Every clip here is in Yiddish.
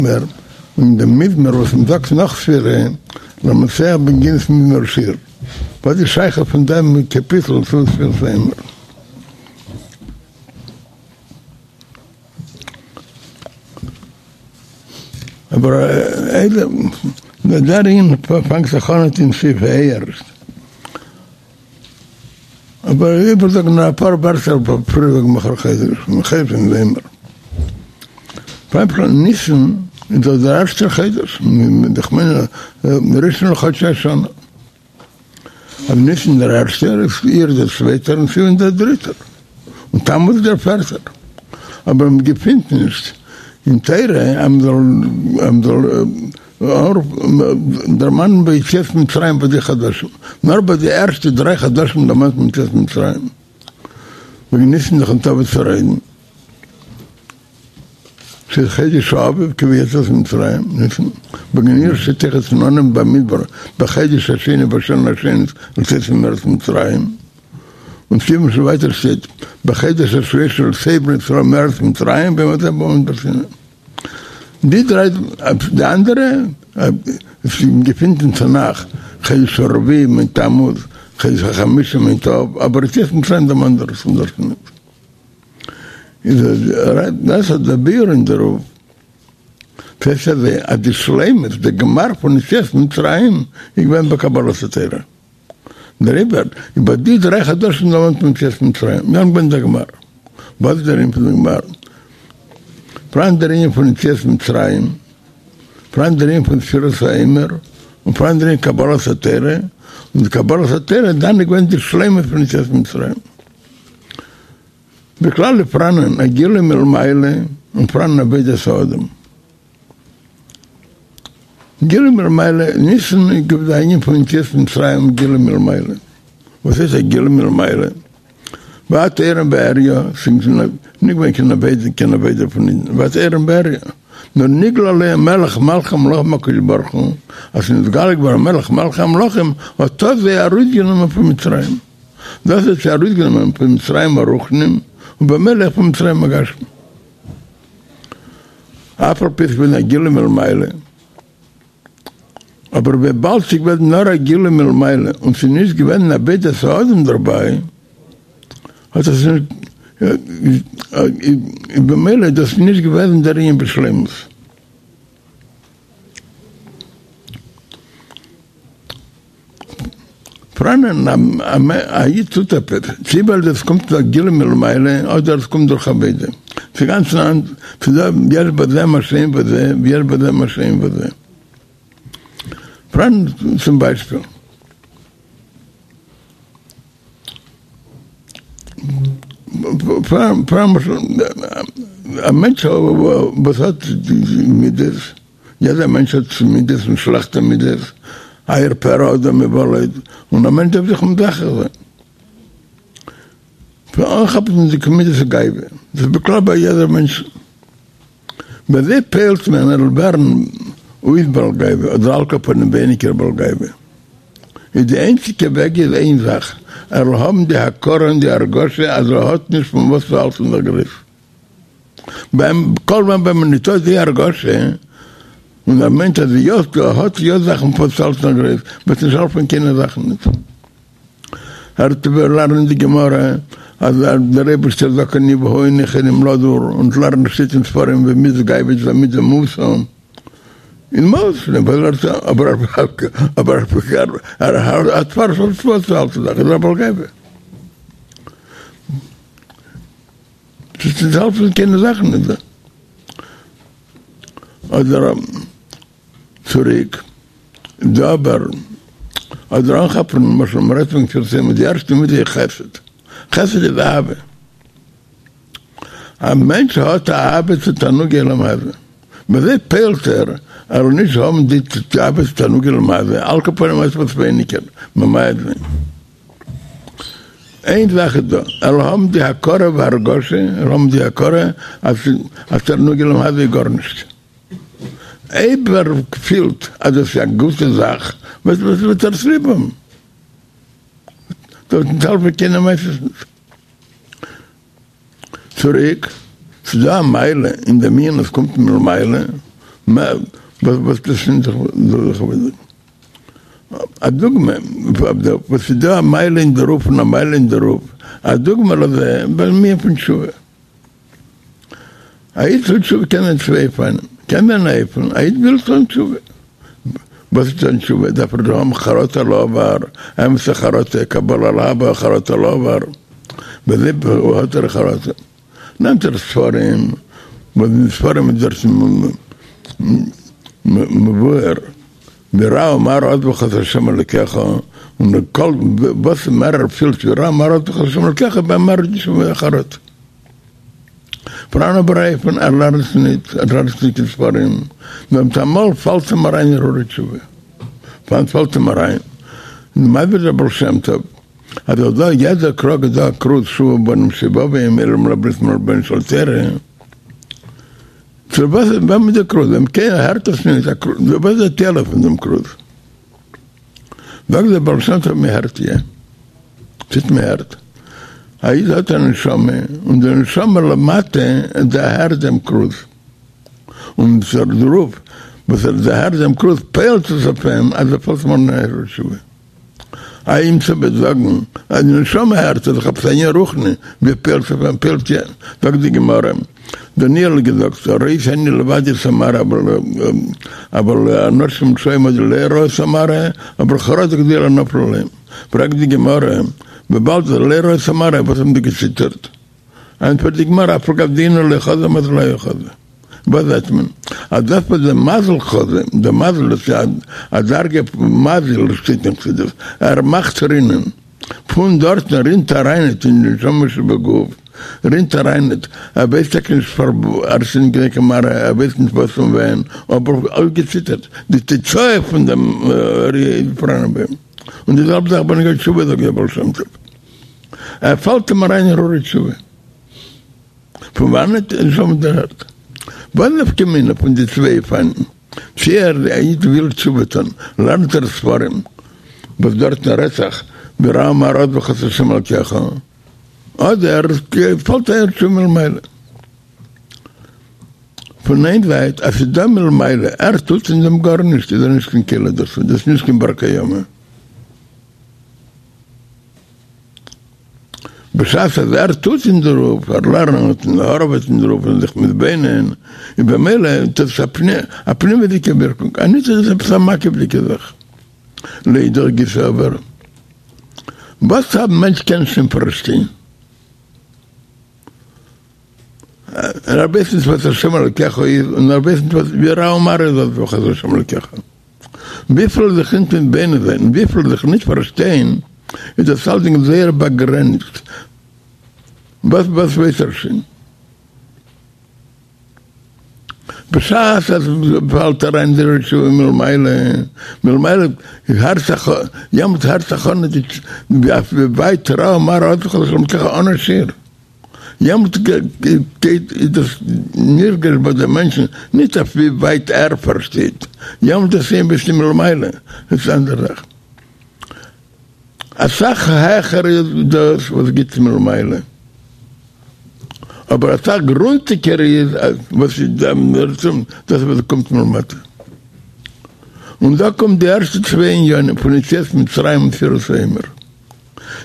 מזמור, און דעם מזמור וואס מען זאגט נאך ספירה, למנצח בנגינות מזמור שיר. וואס איז שייכות פון דעם קאפיטל צו ספירת העומר? אבער דער ענין פאנגט זיך אן אין סעיף ה' ערשט. אבער איבערזאגן נאר אפאר ווערטער פריער וועגן מחר חודש פון העומר. פאר ניסן איז דאס דער ערשטער חודש, איך מיין ראשון לחדשי השנה. אז ניסן דער ערשטער, איז אייר דער צווייטער און סיוון דער דריטער, און תמוז דער פערטער. אבער מען געפינט נישט אין תורה אז מען זאל דערמאנען ביי יציאת מצרים ביי די חדשים, נאר ביי די ערשטע דריי חדשים דערמאנט מען יציאת מצרים, וועגן ניסן איז דאך ניטא וואס צו רעדן, ס'איז חודש האביב כביציאת מצרים, ניסן, וועגן אייר שטייט אויכעט אין אנהויב במדבר בחודש השני בשנה השנית לצאתם מארץ מצרים, און סיוון שוין ווייטער שטייט בחודש השלישי לצאת בני ישראל מארץ מצרים ביום הזה במדבר סיני. די דריי, די אנדערע, עס געפינט אין תנך, חודש הרביעי מיינט תמוז, חודש החמישי מיינט אב, אבער יציאת מצרים דערמאנט דארט פון דארט ניט. איז דאס איז דער ביאור אין דערויף, ס'הייסט אזוי אז די שלימות, די גמר פון יציאת מצרים איז געווען בקבלת התורה. דעריבער איז ביי די דריי חדשים דערמאנט מען יציאת מצרים, דאן געווען דער גמר. וואס איז דער ענין פון די גמר? פאראן דער ענין פון יציאת מצרים, פאראן דער ענין פון ספירת העומר, און פאראן דער ענין קבלת התורה, און די קבלת התורה דאן איז געווען די שלימות פון יציאת מצרים. בכלל איז פאראנען א גילוי מלמעלה און פאראנען עבודת האדם. גילוי מלמעלה, ניסן איז געווען די ענין פון יציאת מצרים גילוי מלמעלה. וואס הייסט א גילוי מלמעלה? ואת עירום ועריה, ס'איז נישט געווען קיין עבודה, קיין עבודה פון אידן, ואת עירום ועריה, נאר נגלה עליהם מלך מלכי המלכים הקדוש ברוך הוא, אז ס'איז נתגלה געווארן מלך מלכי המלכים, האט דאס זיי ארויסגענומען פון מצרים. דאס האט זיי ארויסגענומען פון מצרים הרוחניים, און במילא אויך פון מצרים הגשמיים. אף על פי ס'געווען א גילוי מלמעלה, אבער וויבאלד ס'איז געווען נאר א גילוי מלמעלה און ס'איז נישט געווען עבודת האדם דערביי, האט עס נישט, איז במילא איז דאס נישט געוועזן דער ענין בשלימות. פאראנען א איד טוט עפעס, צי ווייל דאס קומט דורך גילוי מלמעלה אדער עס קומט דורך עבודה, ס'איז גאנץ נאנט, ס'איז דא יש בזה מה שאין בזה ויש בזה מה שאין בזה. פאראן צום ביישפיל. פאראן למשל א מענטש וואס האט מידות. יעדער מענטש האט מידות און שלעכטע מידות, עיר פרא אדם יולד, און א מענטש דארף זיך מזכך זיין. פון אנכאפן די מידת הגאווה, דאס איז בכלל ביי יעדער מענטש. ווי אזוי פועל'ט מען ער זאל ווערן אויס בעל גאווה, אדער על כל פנים ווייניגער בעל גאווה? איז די איינציגע וועג איז איין זאך, ער זאל האבן די הכרה און די הרגשה אז ער האט נישט פון וואס צו האלטן זיך גרויס. ביים כל זמן ווען מען ניטא די הרגשה, און ער מיינט אז יא ער האט יא זאכן פון וואס צו האלטן זיך גרויס, וועט נישט העלפן קיינע זאכן ניט. ער וועט לערנען די גמרא אז דער אייבערשטער זאגט אני והוא אין יכולים לדור, און לערנען שטייט אין ספרים ווי מידת גאווה איז א מידה מאוסה, אין מאוס, אבער אבער ער האט פאר וואס צו האלטן זיך, איז ער א בעל גאווה. ס'וועט נישט העלפן קיינע זאכן נישט דא. אדער צוריק דא אבער אדער אנכאפן למשל מ'רעדט פון ספירת העומר די ערשטע מידה איז חסד, חסד איז אהבה, א מענטש האט אהבה צו תענוגי עולם הזה, ווי אזוי פועל'ט ער ער זאל נישט האבן די אהבה צו תענוגי עולם הזה, על כל פנים עפעס ווייניגער ממעט זיין. איין זאך איז דא, ער זאל האבן די הכרה והרגשה, ער זאל האבן די הכרה אז אז תענוגי עולם הזה איז גארנישט. אויב ער פילט אז עס איז א גוטע זאך, וועט וועט ער עס ליב האבן. דארף נישט העלפן קיינע מעשיות נישט. צוריק, ס'איז דא א מעלה אין דעם ענין וואס קומט מלמעלה, וואס דאס איז זאל איך זאגן א דוגמא וואס איז דא א מעלה אין דערויף און א מעלה אין דערויף, א דוגמא לזה ביים ענין פון תשובה. א איד טוט תשובה קען זיין צוויי אופנים, קען זיין א אופן א איד וויל טון תשובה, וואס איז טון תשובה? דארף ער האבן חרטה על העבר, אמת'ע חרטה, קבלה להבא, חרטה על העבר, וזה האט ער חרטה, נעמט ער ספרים, וואס אין ספרים איז דארט מבואר ווי רע ומר עזבך את ה' אלוקיך, און כל וואס מער ער פילט ווי רע ומר עזבך את ה' אלוקיך ביי אים מער איז די חרטה. פאראן אבער אן אופן ער לערנט ניט, ער לערנט ניט קיין ספרים, נאר מיטאמאל פאלט אים אריין הרהורי תשובה. וואנעט פאלט אים אריין? איז מסביר דער בעל שם טוב אז אויך דא יעדער קרוג איז דא א כרוז שובו בנים שובבים אלם לברית מלבן של תורה. צו וואס ווען מיט די כרוז? ווען קיינער הערט עס נישט, וואס איז די תועלת פון דעם כרוז? זאגט דער בעל שם טוב מען הערט יא. ס'איז מען הערט. א איד האט א נשמה, און די נשמה למטה דערהערט דעם כרוז. און דערויף וואס ער דערהערט דעם כרוז פועלט עס אויף אים אז ער פאלט אים אן הרהור תשובה. אימיצער וועט זאגן אז די נשמה הערט איז דאך עפעס א ענין רוחני, ווי פועלט עס אויף אים? פועלט יא. זאגט די גמרא, דניאל האט געזאגט, ראיתי אני לבדי את המראה אבל אנשים רשעים עמדי לא ראו את המראה, אבל חרדה גדולה נפלה עליהם. פרעגט די גמרא, וויבאלד לא ראו את המראה, וואס האבן זיי געציטערט? ענטפערט די גמרא, אף על גב דאינהו לא חזו מזלא הוו חזי. וואס זעט מען? אז דאס וואס דער מזל חזא, דער מזל דאס איז א דרגה פון מזיל שטייט אין חסידות, ער מאכט רינען, פון דארטן רינט אריינעט אין די נשמה שבגוף, רינט אריינעט, ער ווייסט טאקע נישט פארוואס, ער איז נישט געווען קיין מראה, ער ווייסט נישט וואס און ווען, אבער אויפגעציטערט, די תוצאה פון דעם ראיה איז פאראנען ביי אים. און די זעלבע זאך בנוגע תשובה זאגט דער בעל שם טוב, ער פאלט אים אריין הרהורי תשובה. פון וואנעט איז נשמה דערהערט? וואס נפקא מינה פון די צוויי אופנים? צי ער א איד וויל תשובה טון, לערנט ער ספרים וואס דארטן רעדט זיך ווי רע ומר עזבך את השם אלקיך, אדער פאלט הרהור תשובה מלמעלה. פון איין זייט אז ס'איז דא מלמעלה, ער טוט אין דעם גארנישט, איז ער נישט קיין כלי דערצו, דאס איז נישט קיין בר קיימא. בשעת אז ער טוט אין דערויף, ער לערנט און הארעוועט אין דערויף און זיך מתבונן, איז במילא האט עס א פנימיות'דיגע ווירקונג, אניט איז עס עפעס א מקיף'דיגע זאך. לאידך גיסא אבער, וואס א מענטש קען שוין פארשטיין, ער ווייסט נישט וואס השם אלקיך איז, און ער ווייסט נישט וואס ווי רע ומר איז עזבך את השם אלקיך. וויפיל זיך נישט מתבונן זיין און וויפיל זיך נישט פארשטיין, איז דאס אלדינג זייער באגרעניצט. וואס וואס ווייס ער שוין? בשעת אז פאלט אריין די תשובה מלמעלה, מלמעלה הערט זיך, יעמאלט הערט זיך אן ווי ווייט רע ומר עזבך את השם אלקיך אן א שיעור. יעמאלט גייט איז דאס נרגש ביי די מענטשן, נישט אויף ווי ווייט ער פארשטייט, יעמאלט איז עס ביסט מלמעלה, דאס איז אנדערע זאך. אסאך העכער איז דאס וואס גיבט מלמעלה, אבער אסאך גרונטיגער איז וואס איז דאס וואס קומט מלמטה. און דא קומט די ערשטע צוויי עניינים פון יציאת מצרים און ספירת העומר.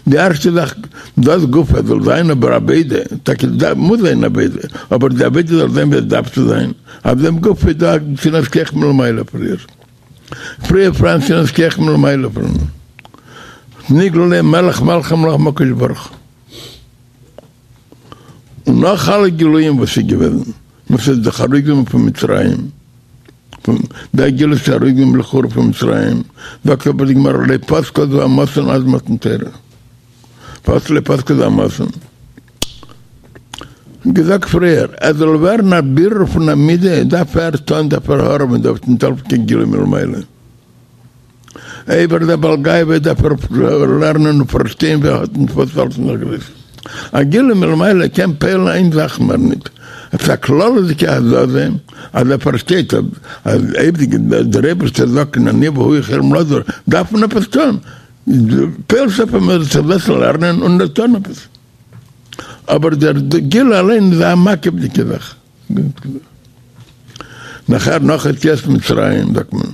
די ערשטע זאך, דאס גופא זאל זיין אבער עבודה, טאקע מוז זיין עבודה, אבער די עבודה זאל זיין ווי עס דארף צו זיין, אויף דעם גופא איז דא א נתינת כח מלמעלה פריער, פריער פאראן נתינת כח מלמעלה פון נגלה עליהם מלך מלכי המלכים הקדוש ברוך הוא, און נאך אלע גילויים וואס איז געוועזן, וואס איז דאך ארויסגענומען פון מצרים. פון דער גלות איז ארויסגענומען לכאורה פון מצרים, זאגט אבער די גמרא לא פסקה זוהמתן עד מתן תורה, פארוואס לא פסקה זוהמתן? געזאגט פריער, עס זאל ווערן א בירור פון א מידה דארף ער טון דארף ער הארעווען דארף נישט העלפן קיין גילוי מלמעלה. אויב ער איז א בעל גאווה דארף ער לערנען און פארשטיין ווי ער האט נישט וואס אלץ נאך גרויס. א גילוי מלמעלה קען פועל'ן איין זאך מער ניט, עפעס א כללות'דיגע הזזה אז ער פארשטייט אז אויב דער אייבערשטער זאגט אני והוא יכולים לדור דארף מען עפעס טון, פועל'ט עס אויף אים ער זאל זיך זעצן לערנען און טון עפעס. אבער דער גילוי אליין איז א מקיף'דיגע זאך. נאכער נאך יציאת מצרים זאגט מען,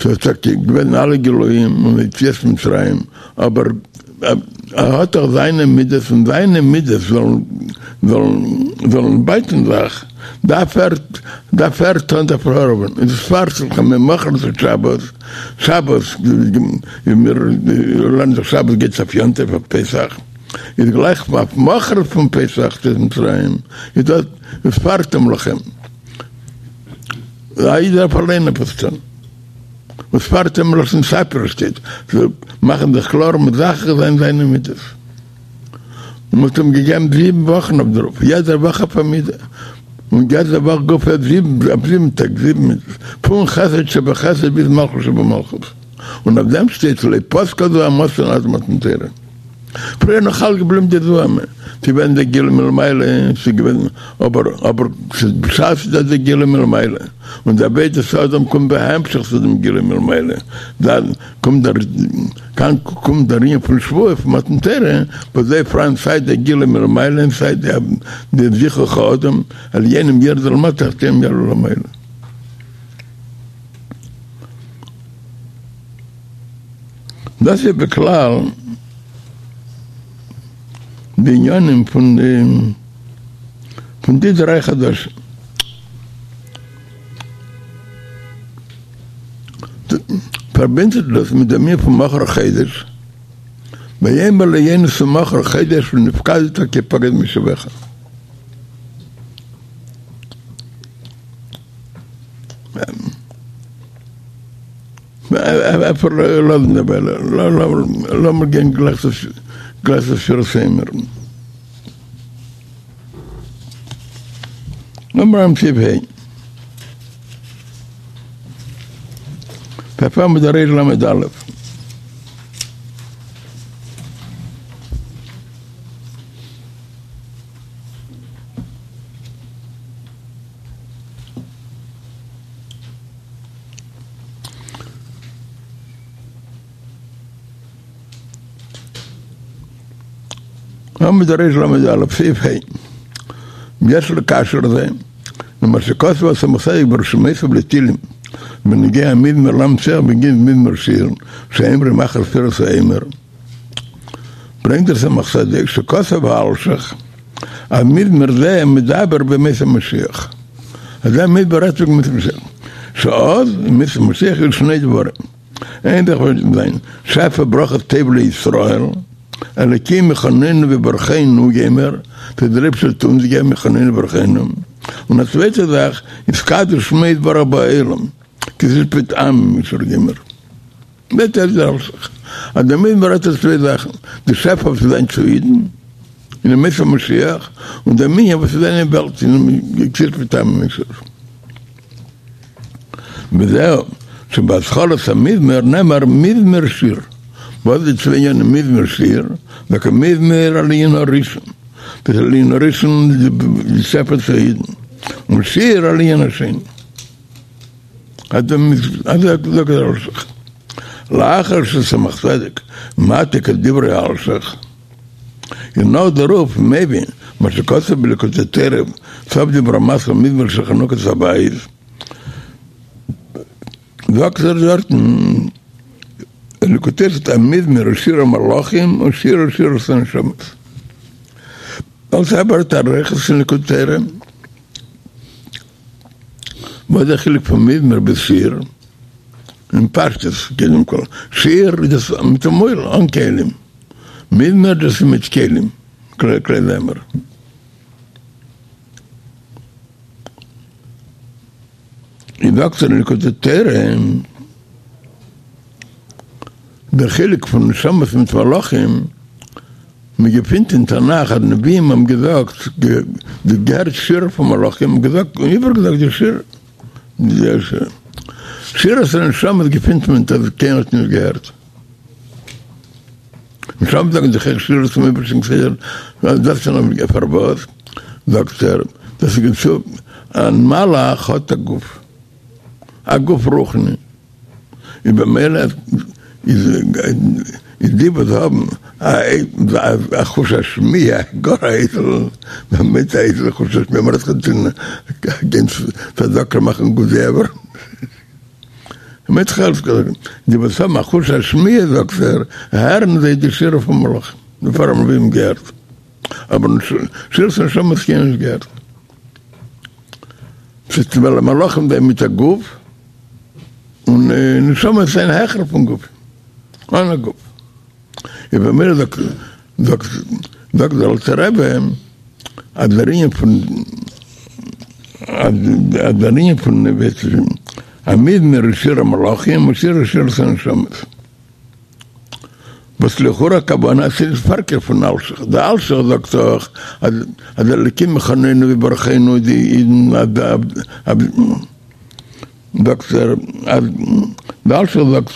ס'איז טאקע געווען אלע גילויים און יציאת מצרים, אבער ער האט דאך זיינע מידות און זיינע מידות זאלן זאלן זאלן בייטן זיך, דארף ער דארף ער טון דארף ער הארעווען, איז וספרתם לכם ממחרת שבת, שבת ווי מיר לערנען זיך שבת גייט אויף יום טוב אויף פסח, איז גלייך אויף מחרת פון פסח יציאת מצרים איז דאס וספרתם לכם. א איד דארף אליין עפעס טון. וספרתם מלשון ספר שטייט, צו מאכן זיך קלאר מזכך זיין זיינע מידות. און מ'האט אים געגעבן זיבן וואכן אויף דערויף, יעדע וואך אויף א מידה, און יעדע וואך גופא אויף זיבן, אויף זיבן טעג, זיבן מידות, פון חסד שבחסד ביז מלכות שבמלכות. און אויף דעם שטייט לא פסקה זוהמתן עד מתן תורה. פריער נאך אלץ געבליבן די זוהמא, ס'איז געווען די גילוי מלמעלה, ס'איז געווען, אבער, אבער, בשעת ס'איז דא די גילוי מלמעלה, און די עבודת האדם קומט בהמשך צו דעם גילוי מלמעלה, דאן קומט דער, כאן קומט דער ענין פון שבועה פון מתן תורה, וואס דא איז פאראן סיי די גילוי מלמעלה און סיי די זיכוך האדם, עליונים ירדו למטה תחתונים יעלו למעלה. דאס איז בכלל די עניינים פון די פון די דריי חדשים. פארבינדט זיך דאס מיט דעם ענין פון מחר חודש, ויאמר ליונתן מחר חודש ונפקדת כי פקד מושבך. אפשר לאזן דערביי, לאמיר גיין גלייך צו ספירת העומר. לאמיר אנהייבן סעיף ה'. פאר עמוד רל"א. עמוד רל"א, סעיף ה', יש לקשר זה, למה שכתב הצמח צדק ברשימותיו לתהילים, בנוגע המזמור למנצח בנוגע מזמור שיר, שאומרים אחר ספירת העומר, ברענגט דער צמח צדק שכתב האלשיך אז מזמור זה מדבר בימות המשיח, אז דער מזמור רעדט וועגן ימות המשיח, שאז בימות המשיח יהיו שני דברים, איין זאך וועט זיין שפע ברכה טוב לישראל, אלוקים יחננו ויברכנו וגומר, אז דער אייבערשטער וועט אונז געבן יחננו ויברכנו, און א צווייטע זאך יתקדש שמו יתברך בעולם, כי תשפוט עמים ישור וגומר. זעט אויס דער אלשיך אז דער מזמור רעדט אויף צוויי זאכן, די שפע וואס וועט זיין צו אידן אין ימות המשיח, און דער ענין וואס וועט זיין אין וועלט אין כי תשפוט עמים ישור. וזהו, שבהתחלת המזמור נאמר מזמור שיר. וואס איז די צוויי ענינים מזמור שיר? דוקא מזמור על הענין הראשון, דאס על הענין הראשון די שפע צו אידן, און שיר על הענין השני. אזוי זאגט דער אלשיך. לאחר שצמח צדק מעתיק את דברי האלשיך, און נאך דערויף מביא מה שכתוב בליקוטי תורה סוף דיבור המתחיל מזמור של חנוכת הבית, זאגט ער דארטן אין ליקוטי תורה המזמור הוא שיר המלאכים און שיר הוא שירת הנשמות. אלס אבער אריכות אין ליקוטי תורה. וואס איז דער חילוק פון מזמור ביז שיר? אין פשטות, קודם כל, שיר איז דאס מיט די מויל אן כלים, מזמור דאס איז מיט כלים, כלי זמר. איז זאגט ער אין ליקוטי תורה, דער חילוק פון נשמות מיט מלאכים, מען געפינט אין תנך אז נביאים האבן געזאגט, געהערט שירה פון מלאכים און געזאגט און איבערגעזאגט די שירה. שירת הנשמות געפינט מען אז קיינער האט נישט געהערט. נשמות זאגן זיך אויך שירה צום אייבערשטן כסדר, דאס איז נאר פארוואס זאגט ער, דאס איז געצו א מלאך האט א גוף, א גוף רוחני. איז במילא איז. איז די וואס האבן א חוש השמיעה, גאר א איידל, באמת א איידל חוש השמיעה, מ'רעדט זיך נישט פון גיין צדקה מאכן וואטעווער, די וואס האבן א חוש השמיעה זאגט ער, הערן זיי די שירה פון מלאכים, דערפאר האבן נביאים געהערט, אבער שירת נשמות קיינער נישט געהערט. ס'איז ווייל מלאכים זענען מיט א גוף, און נשמות זענען העכער פון גוף, אן א גוף. איז במילא זאגט זאגט זאגט דער אלטער רבי אז דער ענין פון אז דער ענין פון א מזמור איז שיר המלאכים און שיר איז שירת הנשמות. וואס לכאורה הכוונה אז ס'איז פארקערט פון אלשיך, די אלשיך זאגט דאך אז אז אלקים יחננו ויברכנו די אידן אז זאגט ער אז די אלשיך זאגט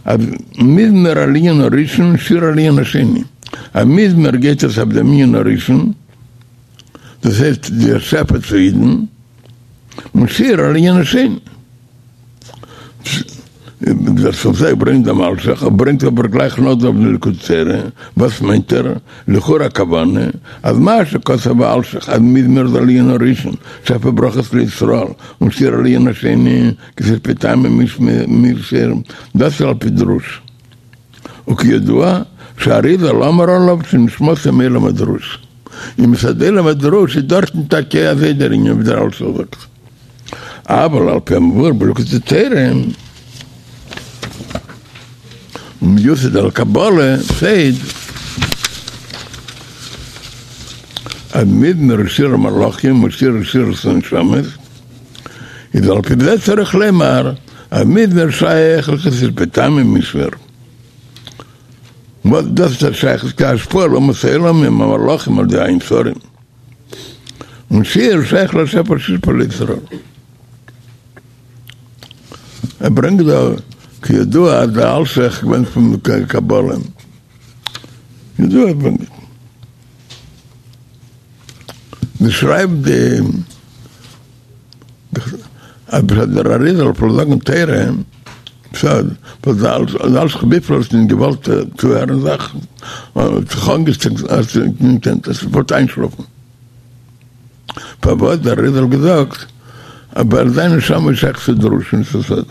אז מזמור על ענין הראשון שיר על ענין השני, א מזמור גייט עס אויף דעם ענין הראשון, דאס הייסט די שפע צו אידן, און שיר על ענין השני. דער סוף זיי ברענגט דעם אלשיך, ער ברענגט אבער גלייך נאך דעם די ליקוטי תורה, וואס מיינט ער? לכאורה הכוונה אז מה שכתב האלשיך אז מזמור איז על ענין הראשון שפע ברכות לישראל און שיר על ענין השני כתשפי טעמים משיר דאס איז על פי דרוש וכידוע שהאריז"ל אמר עליו שנשמתו מעולם הדרוש און מצד עולם הדרוש איז דארטן טאקע אזוי דער ענין ווי דער אלשיך זאגט. אבל על פי המבואר בליקוטי תורה ומיוסד על קבלה שטייט אז מזמור שיר המלאכים ושיר שירת הנשמות איז על פי זה צריך לומר אז מזמור שייך כי תשפה טעמים משיר וואס דאס איז שייך כהשפעה לאומות העולם עם המלאכים על ידי ע' שרים. און שיר שייך לשפע שהושפע לישראל. ער ברענגט דא כידוע אז דער אלשיך געווען פון קבלה. ידוע ער ברענגט. מען שרייבט די אז דער אריזל פלעגט זאגן תורה בסוד, ווייל דער אלשיך וויפיל ער האט נישט געוואלט צוהערן זאכן, האט זיך אנגעשטרענגט אז ער וואלט איינשלאפן. פארוואס דער אריזל געזאגט אז ווייל זיין נשמה איז שייך צו דרוש און צו סוד.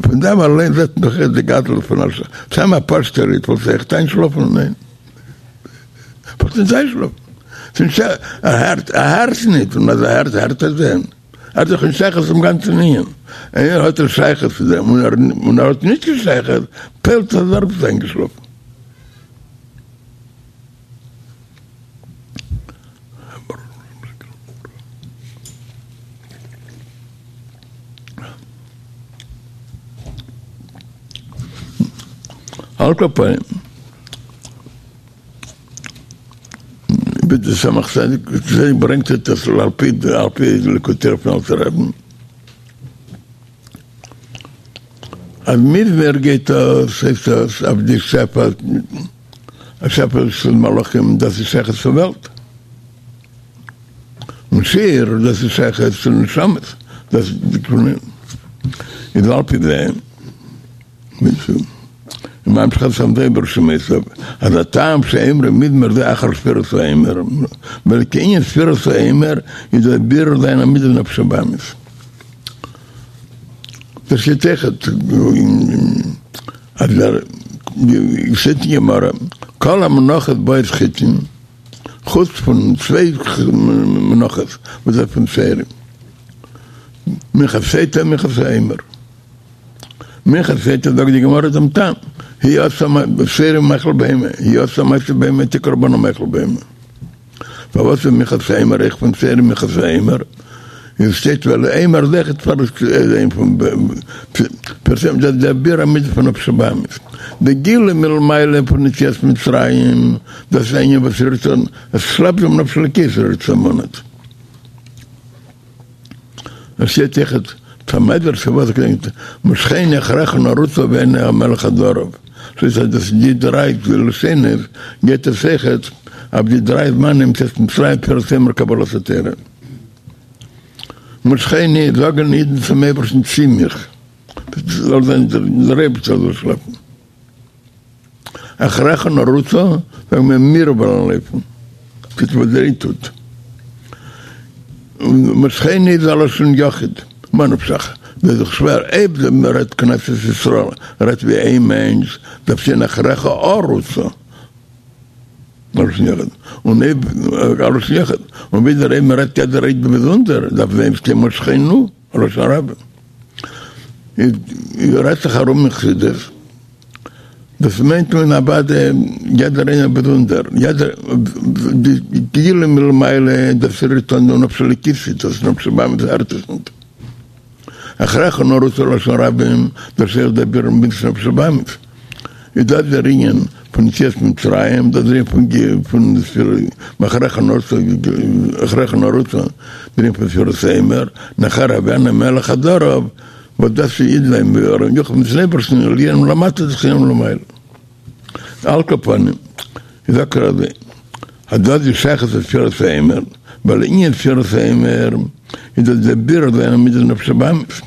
פון דעם אליין זעט מען דאך די גדלות פון אלשיך. סתם א פשוטער איד וואלט זיך איינשלאפן? ניין. וואלט נישט איינשלאפן. ער הערט, ער הערט נישט, און אז ער הערט, הערט ער דען? ער האט דאך נישט שייכות צום גאנצן ענין. איינער האט ער שייכות צו דעם, און ער האט נישט קיין שייכות, פעלט אז ער איז איינגעשלאפן. על כל פנים, ווי דער צמח צדק ברענגט עס על פי על פי ליקוטי תורה פון אלטן רבי'ן, אז מזמור גייט אויס הייסט עס אויף די שפע שפע של מלאכים דאס איז שייכות צו וועלט, און שיר דאס איז שייכות צו נשמות, דאס איז על פי זה. ממשיך שם ברשימותיו, אז הטעם שאומרים מזמור זה אחר ספירת העומר, ווייל כי ענין ספירת העומר איז דער בירור זיין עמידה נפש הבהמית. דאס שטייט אויכעט אז דער שטייט אין גמרא כל המנחות באות חיטין, חוץ פון צוויי מנחות וואס איז פון שעורים, מנחת סוטה און מנחת העומר. מנחת סוטה זאגט די גמרא דעם טעם, היא עשאה שעורים מאכל בהמה, היא עשאה מעשה בהמה תקרא בנה מאכל בהמה. פארוואס איז מנחת העומר אויך פון שעורים מנחת העומר? איז שטייט ווייל עומר איז אויכעט פאר פון פרסם דאס דער בירור המידה פון נפש הבהמית. די גילוי מלמעלה פון יציאת מצרים דאס איז א ענין וואס רירט אן, עס שלעפט דעם נפש אלוקית רירט עס אן. עס שטייט אויכעט במדרש וואס געדענקט משכני אחריך נרוצה ואין המלך עד ערב ס'איז אז דאס די דריי לשונות גייט עס אויכעט אויף די דריי זמנים יציאת מצרים ספירת העומר קבלת התורה משכני זאגן אידן צום אייבערשטן צי מיך. זאל זיין דער אייבערשטער זאל שלעפן. אחריך נרוצה, זאגן מיר מיר וועלן לויפן, טוט וואס דער איד טוט. און משכנו איז א לשון יחיד, מה נפשך, דאס איז דאך שווער, אויב מען רעדט כנסת ישראל רעדט ווי איין מענטש, דארף שטיין אחריך ארוצה, א לשון יחיד, און אויב א לשון יחיד, און ווידער אויב מען רעדט יעדער איד באזונדער, דארף זיין שטיין משכנו, א לשון רבים. איז רעדט זיך ארום אין חסידות, דאס מיינט מען אוודאי יעדער איינער באזונדער, יעדער, די גילוי מלמעלה דאס רירט אן די נפש האלוקית, דאס נפש הבהמית הערט עס ניט. אחריך נרוצה לשון רבים, דאס איז דער בירור מידת נפש הבהמית. איז דאס דער ענין פון יציאת מצרים, דאס דער ענין פון פון אחריך נרוצה, אחריך נרוצה, דער ענין פון ספירת העומר, נאכער הביאנו מלך חדריו, וואס דאס איז אידן ווערן יחד מיטן אייבערשטן עליה מלמטה זכינו מלמעלה. על כל פנים, איז זאגט ער אזוי, אז דאס איז שייכות צו ספירת העומר, ווייל ענין ספירת העומר איז דאס דער בירור זיין מידת נפש הבהמית,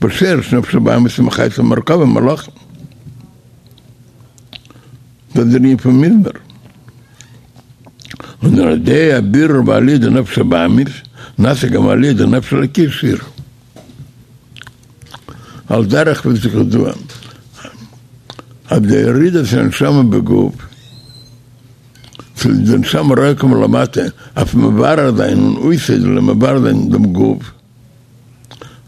וואס שרש נפש הבהמית איז מחייתה מרכבה מלאכים. דאס איז דער ענין פון מזמור. און על ידי הבירור ועליה דנפש הבהמית, נעשה גם עליה דנפש אלוקית שיר. על דרך ווי ס'איז ידוע אז די ירידת הנשמה בגוף, צו די נשמה אראפקומען למטה אויף מברר זיין און אויסאיידלען און מברר זיין דעם גוף,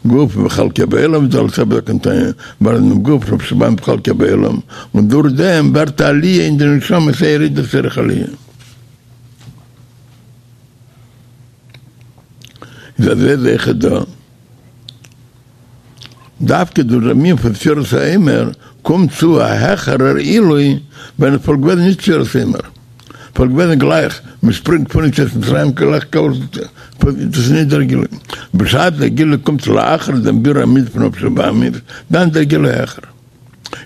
גוף וחלקי בעולם דער אלטער רבי זאגט אין תניא, מברר זיין דעם גוף נפש הבהמית וחלקי בעולם, און דורך דעם ווערט א עליה אין די נשמה ס'איז א ירידה צורך עליה. איז אזוי איז אויכעט דא. דווקא דורך דעם ענין פון ספירת העומר קומט צו א העכערער עילוי ווען עס וואלט געוועזן נישט ספירת העומר וואלט געוועזן גלייך מען שפרינגט פון יציאת מצרים גלייך דאס איז נישט דער גילוי בשעת דער גילוי קומט לאחר דעם בירור המידות פון נפש הבהמית דאן איז דער גילוי העכער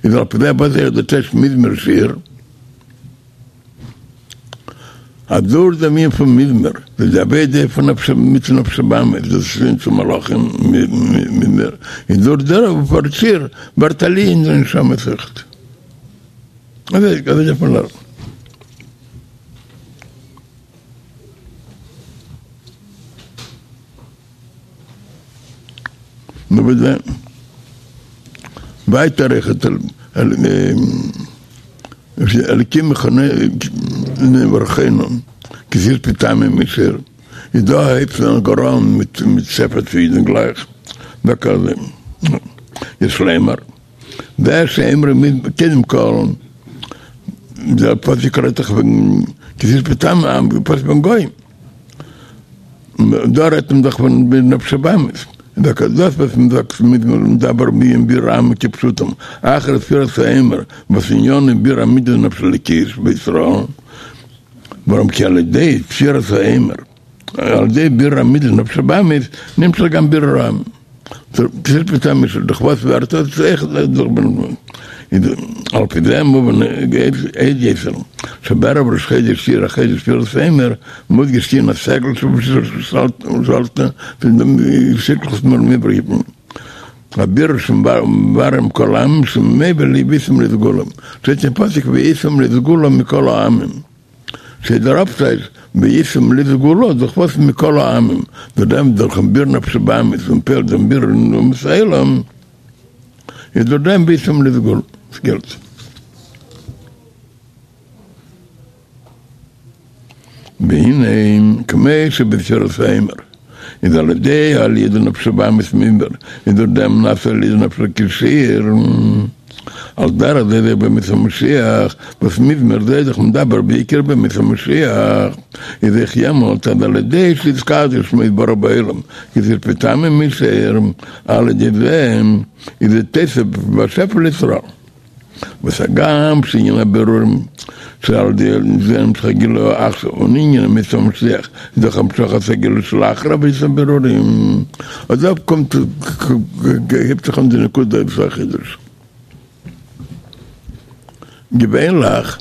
איז על פי זה וואס איז דער טייטש מזמור שיר. אז דורך דעם ענין פון מזמור, איז די עבודה פון נפש מיט נפש הבהמית, דאס איז צו מלאכים מזמור, איז דורך דערויף ווערט שיר ווערט עליה אין די נשמה אויכעט. אזוי אזוי דארף מען לערנען. נו וואס דען? ווייטער אויכעט אלקים חננו ברכנו כי תרצה פעמים משיר איז דא הייבט אן גאר אן מיט מיט ספר צו אידן גלייך וכזה יש לומר זה שאמרו קודם כל דער פסוק רעדט דאך וועגן כי תרצה פעמים פסוק וועגן גוים דא רעדט מען דאך פון נפש הבהמית, דאס וואס מען זאגט מדבר בענין בירור העמים כפשוטם, אחר ספירת העומר וואס עניינו בירור המידות נפש אלוקית בישראל, ווארום כי על ידי ספירת העומר, על ידי בירור המידות נפש הבהמית, נמשך גם בירור העמים. דורך וואס ווערט עס אויך דורך על פי זה מובן עוד יותר שבערב ראש חודש אייר החודש ספירת העומר מודגש ענין הסגול שבשלשלת הבירור שמבררים כל העמים שממילא והייתם לי סגולה שטייט אין פסוק והייתם לי סגולה מכל העמים שדער אפטייטש והייתם לי סגולה דורך וואס מכל העמים דורך דעם דורכן בירור נפש הבהמית און פועל'ט דעם בירור אין אומות העולם איז דורך דעם והייתם לי סגולה ס'געלט. והנה כמו שבספירת העומר איז על ידי עליה דנפש הבהמית מזמור איז דורך דעם נעשה עליה דנפש אלוקית שיר על דרך זה זה בימות המשיח וואס מזמור זה איז דאך מדבר בעיקר בימות המשיח איז אויך יעמאלט אז על ידי שיתקדש שמו יתברך בעולם כי תרצה פעמים משיר על ידי זה איז זה תוסף ושפע לישראל. וואס הגם שענין הבירורים שעל ידי זה נמשך הגילוי עכשיו און ענין ימות המשיח איז דאך המשכת הגילוי שלאחר עבודת הבירורים, אט דא קומט הייבט זיך אן די נקודה וואס איז א חידוש. געווענליך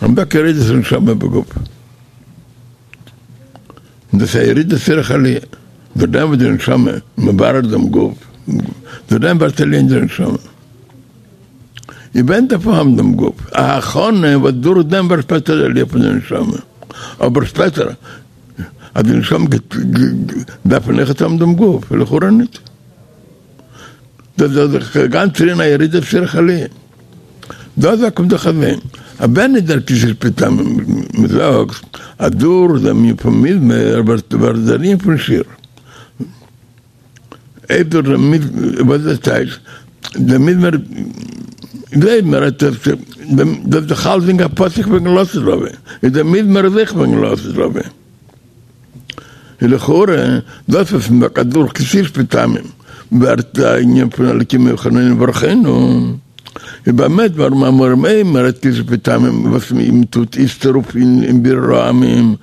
האבן דא ירידת הנשמה בגוף. און דאס איז א ירידה צורך עליה, דורך דעם וואס די נשמה מברר דעם גוף. דורך דעם ווערט עליה אין דער נשמה. און ווען דארף מען האבן דעם גוף? א הכנה וואס דורך דעם ווערט שפעטער די עליה פון די נשמה. אבער שפעטער אז די נשמה גייט דארף מען אויכעט האבן דעם גוף? לכאורה ניט. דאס איז דאך גאנץ ענין הירידה צורך עליה. דא זאגט מען דאך אזוי, אז ווען איז דער כי תשא מטעמים מ'זאגט אז דורך דעם ענין פון מזמור ווערט דער ענין פון שיר. אויב דורך דעם מזמור, וואס איז דאס טייטש? דער מזמור, גלייב מיר אז דאס איז דאך אלסדינג א פסוק וועגן לעתיד לבוא, איז דער מזמור אויך וועגן לעתיד לבוא. איז לכאורה דאס וואס מ'זאגט אז דורך כי תשא מטעמים ווערט א ענין פון אלקים יחננו וברכנו, איז במה דברים אמורים אויב מ'רעדט כי תשא מטעמים וואס מ'טוט איצטער אויף אין בירור העמים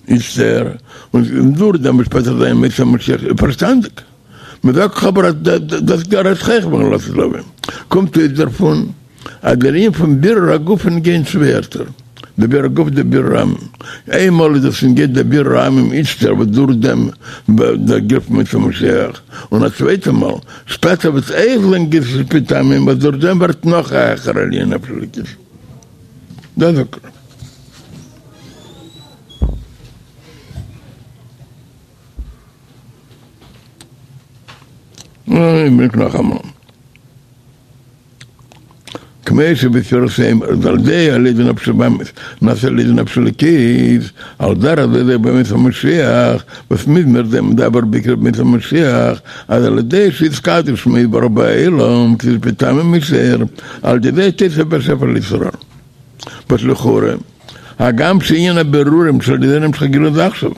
איצטער, און דורך דעם וועט שפעטער זיין ימות המשיח איז פארשטאנדיג. מ'זאגט דאך אבער אז דאס רעדט זיך אויך וועגן לעתיד לבוא. קומט אויס דערפון אז דער ענין פון בירור הגוף איז נוגע אין צוויי ערטער, דער בירור הגוף דער בירור העמים. איינמאל איז דאס נוגע דער בירור העמים איצטער וואס דורך דעם ווערט דער גילוי פון ימות המשיח, און א צווייטע מאל שפעטער וועט אויך זיין כי תשא מטעמים וואס דורך דעם ווערט נאך א העכערע עליה אין נפש אלוקית. דאס זאגט ער. און ברענגט נאכאמאל. כמו שבספירת העומר אז על ידי עליית נפש הבהמית נעשה עליית נפש אלוקית, על דרך זה זה בימות המשיח, וואס מזמור זה מדבר בעיקר בימות המשיח, אז על ידי שיתקדש שמו יתברך בעולם כי תשא מטעמים משער, על ידי זה תוסף השפע לישראל. וואס לכאורה, הגם שענין הבירורים שעל ידי זה נמשך הגילוי איז עכשיו,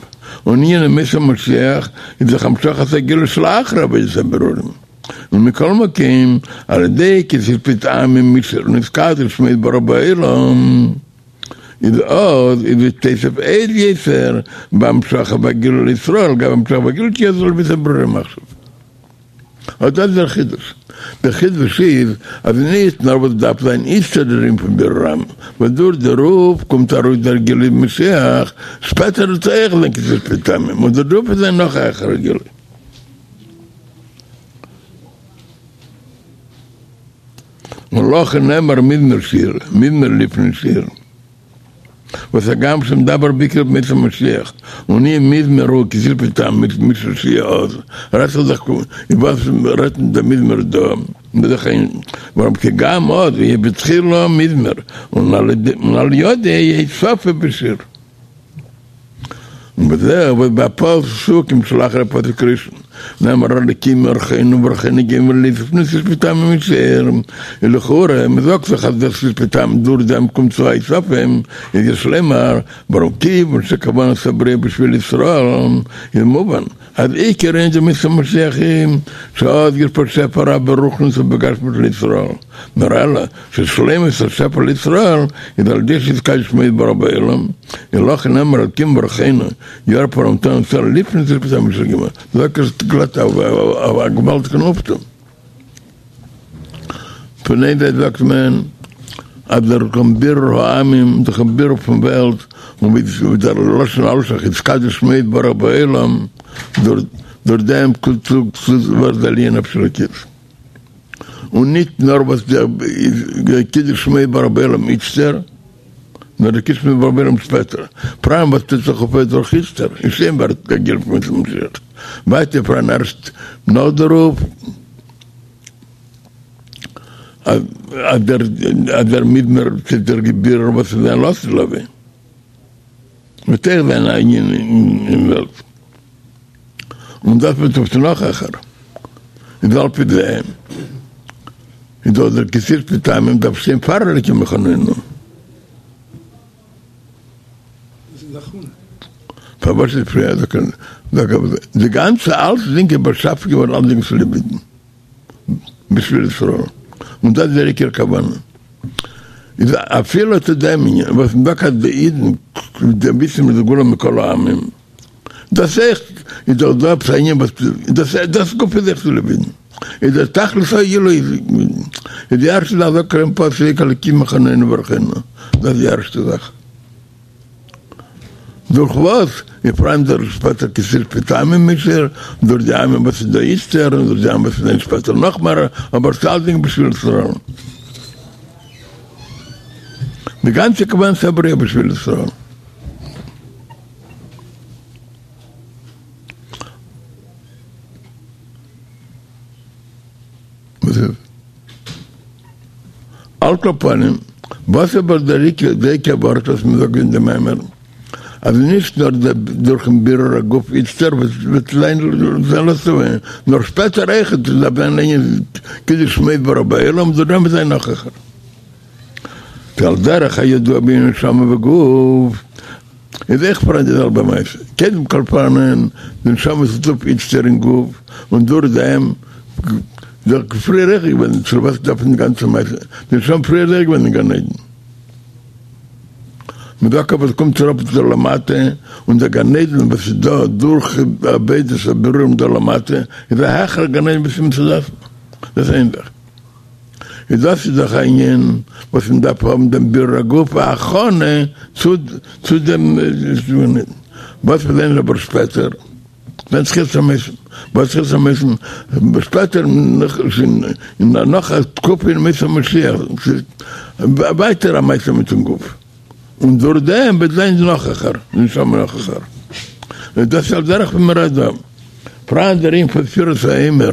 און ענין ימות המשיח איז דאך המשכת הגילוי שלאחר עבודת הבירורים. ומכל מקום, על ידי כי תשא מטעמים משער נתקדש שמו יתברך בעולם, איז אז איז עס תוסף עוד יותר בהמשכה והגילוי לישראל, גם המשכה והגילוי תהיה זו לביס הבירורים עכשיו. אט דאס איז דער חידוש. דער חידוש איז אז נישט נאר וואס דארף זיין איצטער דער ענין פון בירור העמים, וואס דורך דערויף קומט ארויס דער גילוי משיח, שפעטער וועט אויך זיין כי תשא מטעמים, און דערויף וועט זיין נאך א העכערע גילוי. ולכן נאמר מזמור שיר, מזמור לפני שיר, וואס הגם שמדבר בעיקר בימות המשיח, און ענין מזמור הוא כי תשא מטעמים משער שיהיה אז, רעדט זיך דאך איבער וואס רעדט דער מזמור דא, בדרך כלל, ווארום כי גם אז יהיה בתחילה מזמור, און על ידו יהיה סופו בשיר. ובזה וואס בפסוקים שלאחר הפסוק הראשון נאמר אלקים יברכנו וברכנו גומר לפני תשא מטעמים משער איז לכאורה מ'זאגט דאך אז דאס איז מטעמים דורך דעם קומט צו הוספה איז יש לומר ווארום כיוון שכוונת הבריאה בשביל ישראל איז מובן אז עיקר ענין דבימות המשיח הוא שאז יושפע שפע רב ברוחניות ובגשמיות לישראל נאר אלא ששלימות השפע לישראל איז על ידי שיתקדש שמו יתברך בעולם, און לכן נאמר אלקים יברכנו יאר פאר מתן תורה לפני תשא מטעמים משער גומר, זאגט ער גלאט א געוואלדיגן אויפטו. פון איין זייט זאגט מען אז דורכן בירור העמים, דורכן בירור פון וועלט, און ווי דער לשון אלשיך יתקדש שמו יתברך בעולם, דורך דעם קומט צו ווערט די עליה נפש אלוקית. און ניט נאָר וואָס דער קידוש שמו יתברך בעולם איצטער, נאָר דער קידוש שמו יתברך בעולם שפּעטער. פאַראַן וואָס טוט זיך אויף דורך איצטער, און שוין ווערט דער גילוי פון ימות המשיח. ווייטער פאַראַן ערשט נאָך דערויף, אַז דער אַז דער מזמור צו דער בירור וואָס איז זיין לעתיד לבוא, וועט אויך זיין אַ ענין אין וועלט. און דאס וועט אויף נאך העכער, איז על פי זה איז דאך דער כי תשא מטעמים דארף שטיין פאר אלקים יחננו. פארוואס איז פריער די גאנצע אלצדינג איז באשאפן געווארן אלצדינג צוליב אידן בשביל ישראל און דאס איז דער עיקר כוונה איז אפילו צו דעם ענין וואס מ'זאגט אז די אידן וויסן מיט די גאולה מכל העמים דאס אויך איז דאך דא עפעס א ענין וואס דאס דאס גופא איז אויך צוליב אידן, איז דער תכלית העילוי איז די ערשטע זאך זאגט ער אין פסוק אלקים יחננו וברכנו, דאס איז די ערשטע זאך. דורך וואס? איז פאראן דער שפעטער כי תשפוט עמים מישער, דורך די עמים וואס איז דא איצטער, און דורך די עמים וואס איז זיין שפעטער נאך מער, אבער ס'אלצדינג בשביל ישראל. די גאנצע כוונת הבריאה בשביל ישראל. על כל פנים, וואס אבער דער עיקר, די עיקר ווארט וואס מען זאגט אין דעם מאמר, אז נישט נאר דורכן בירור הגוף איצטער וועט זיין לעתיד, נאר שפעטער אויכעט דארף זיין ענין קידוש שמו יתברך בעולם, דורך דעם וועט זיין נאך העכער. ועל דרך הידוע בענין נשמה וגוף, איז אויך פאראן די זעלבע מעשה, קודם כל פאראן די נשמה וואס טוט אויף איצטער אין גוף, און דורך דעם דאך פריער אויך געווען, צו וואס דארף מען די גאנצע מעשה, די נשמה פריער איז אויך געווען אין גן עדן. מ'זאגט אבער עס קומט אראפ דא למטה, און דער גן עדן וואס איז דא דורך עבודת הבירורים דא למטה, איז א העכערע גן עדן ווי ס'איז מצד עצמו, דאס איז איין זאך. איז דאס איז דאך א ענין וואס מען דארף האבן דעם בירור הגוף א הכנה צו צו דעם וואס מיר זעען אבער שפעטער ווען תחיית המתים וואס תחיית המתים שפעטער אין נאך א תקופה אין ימות המשיח ווייטער א מעשה מיטן גוף און דורך דעם וועט זיין נאך העכער נשמה נאך העכער דאס איז על דרך ווי מען רעדט דא פאראן דער ענין פון ספירת העומר.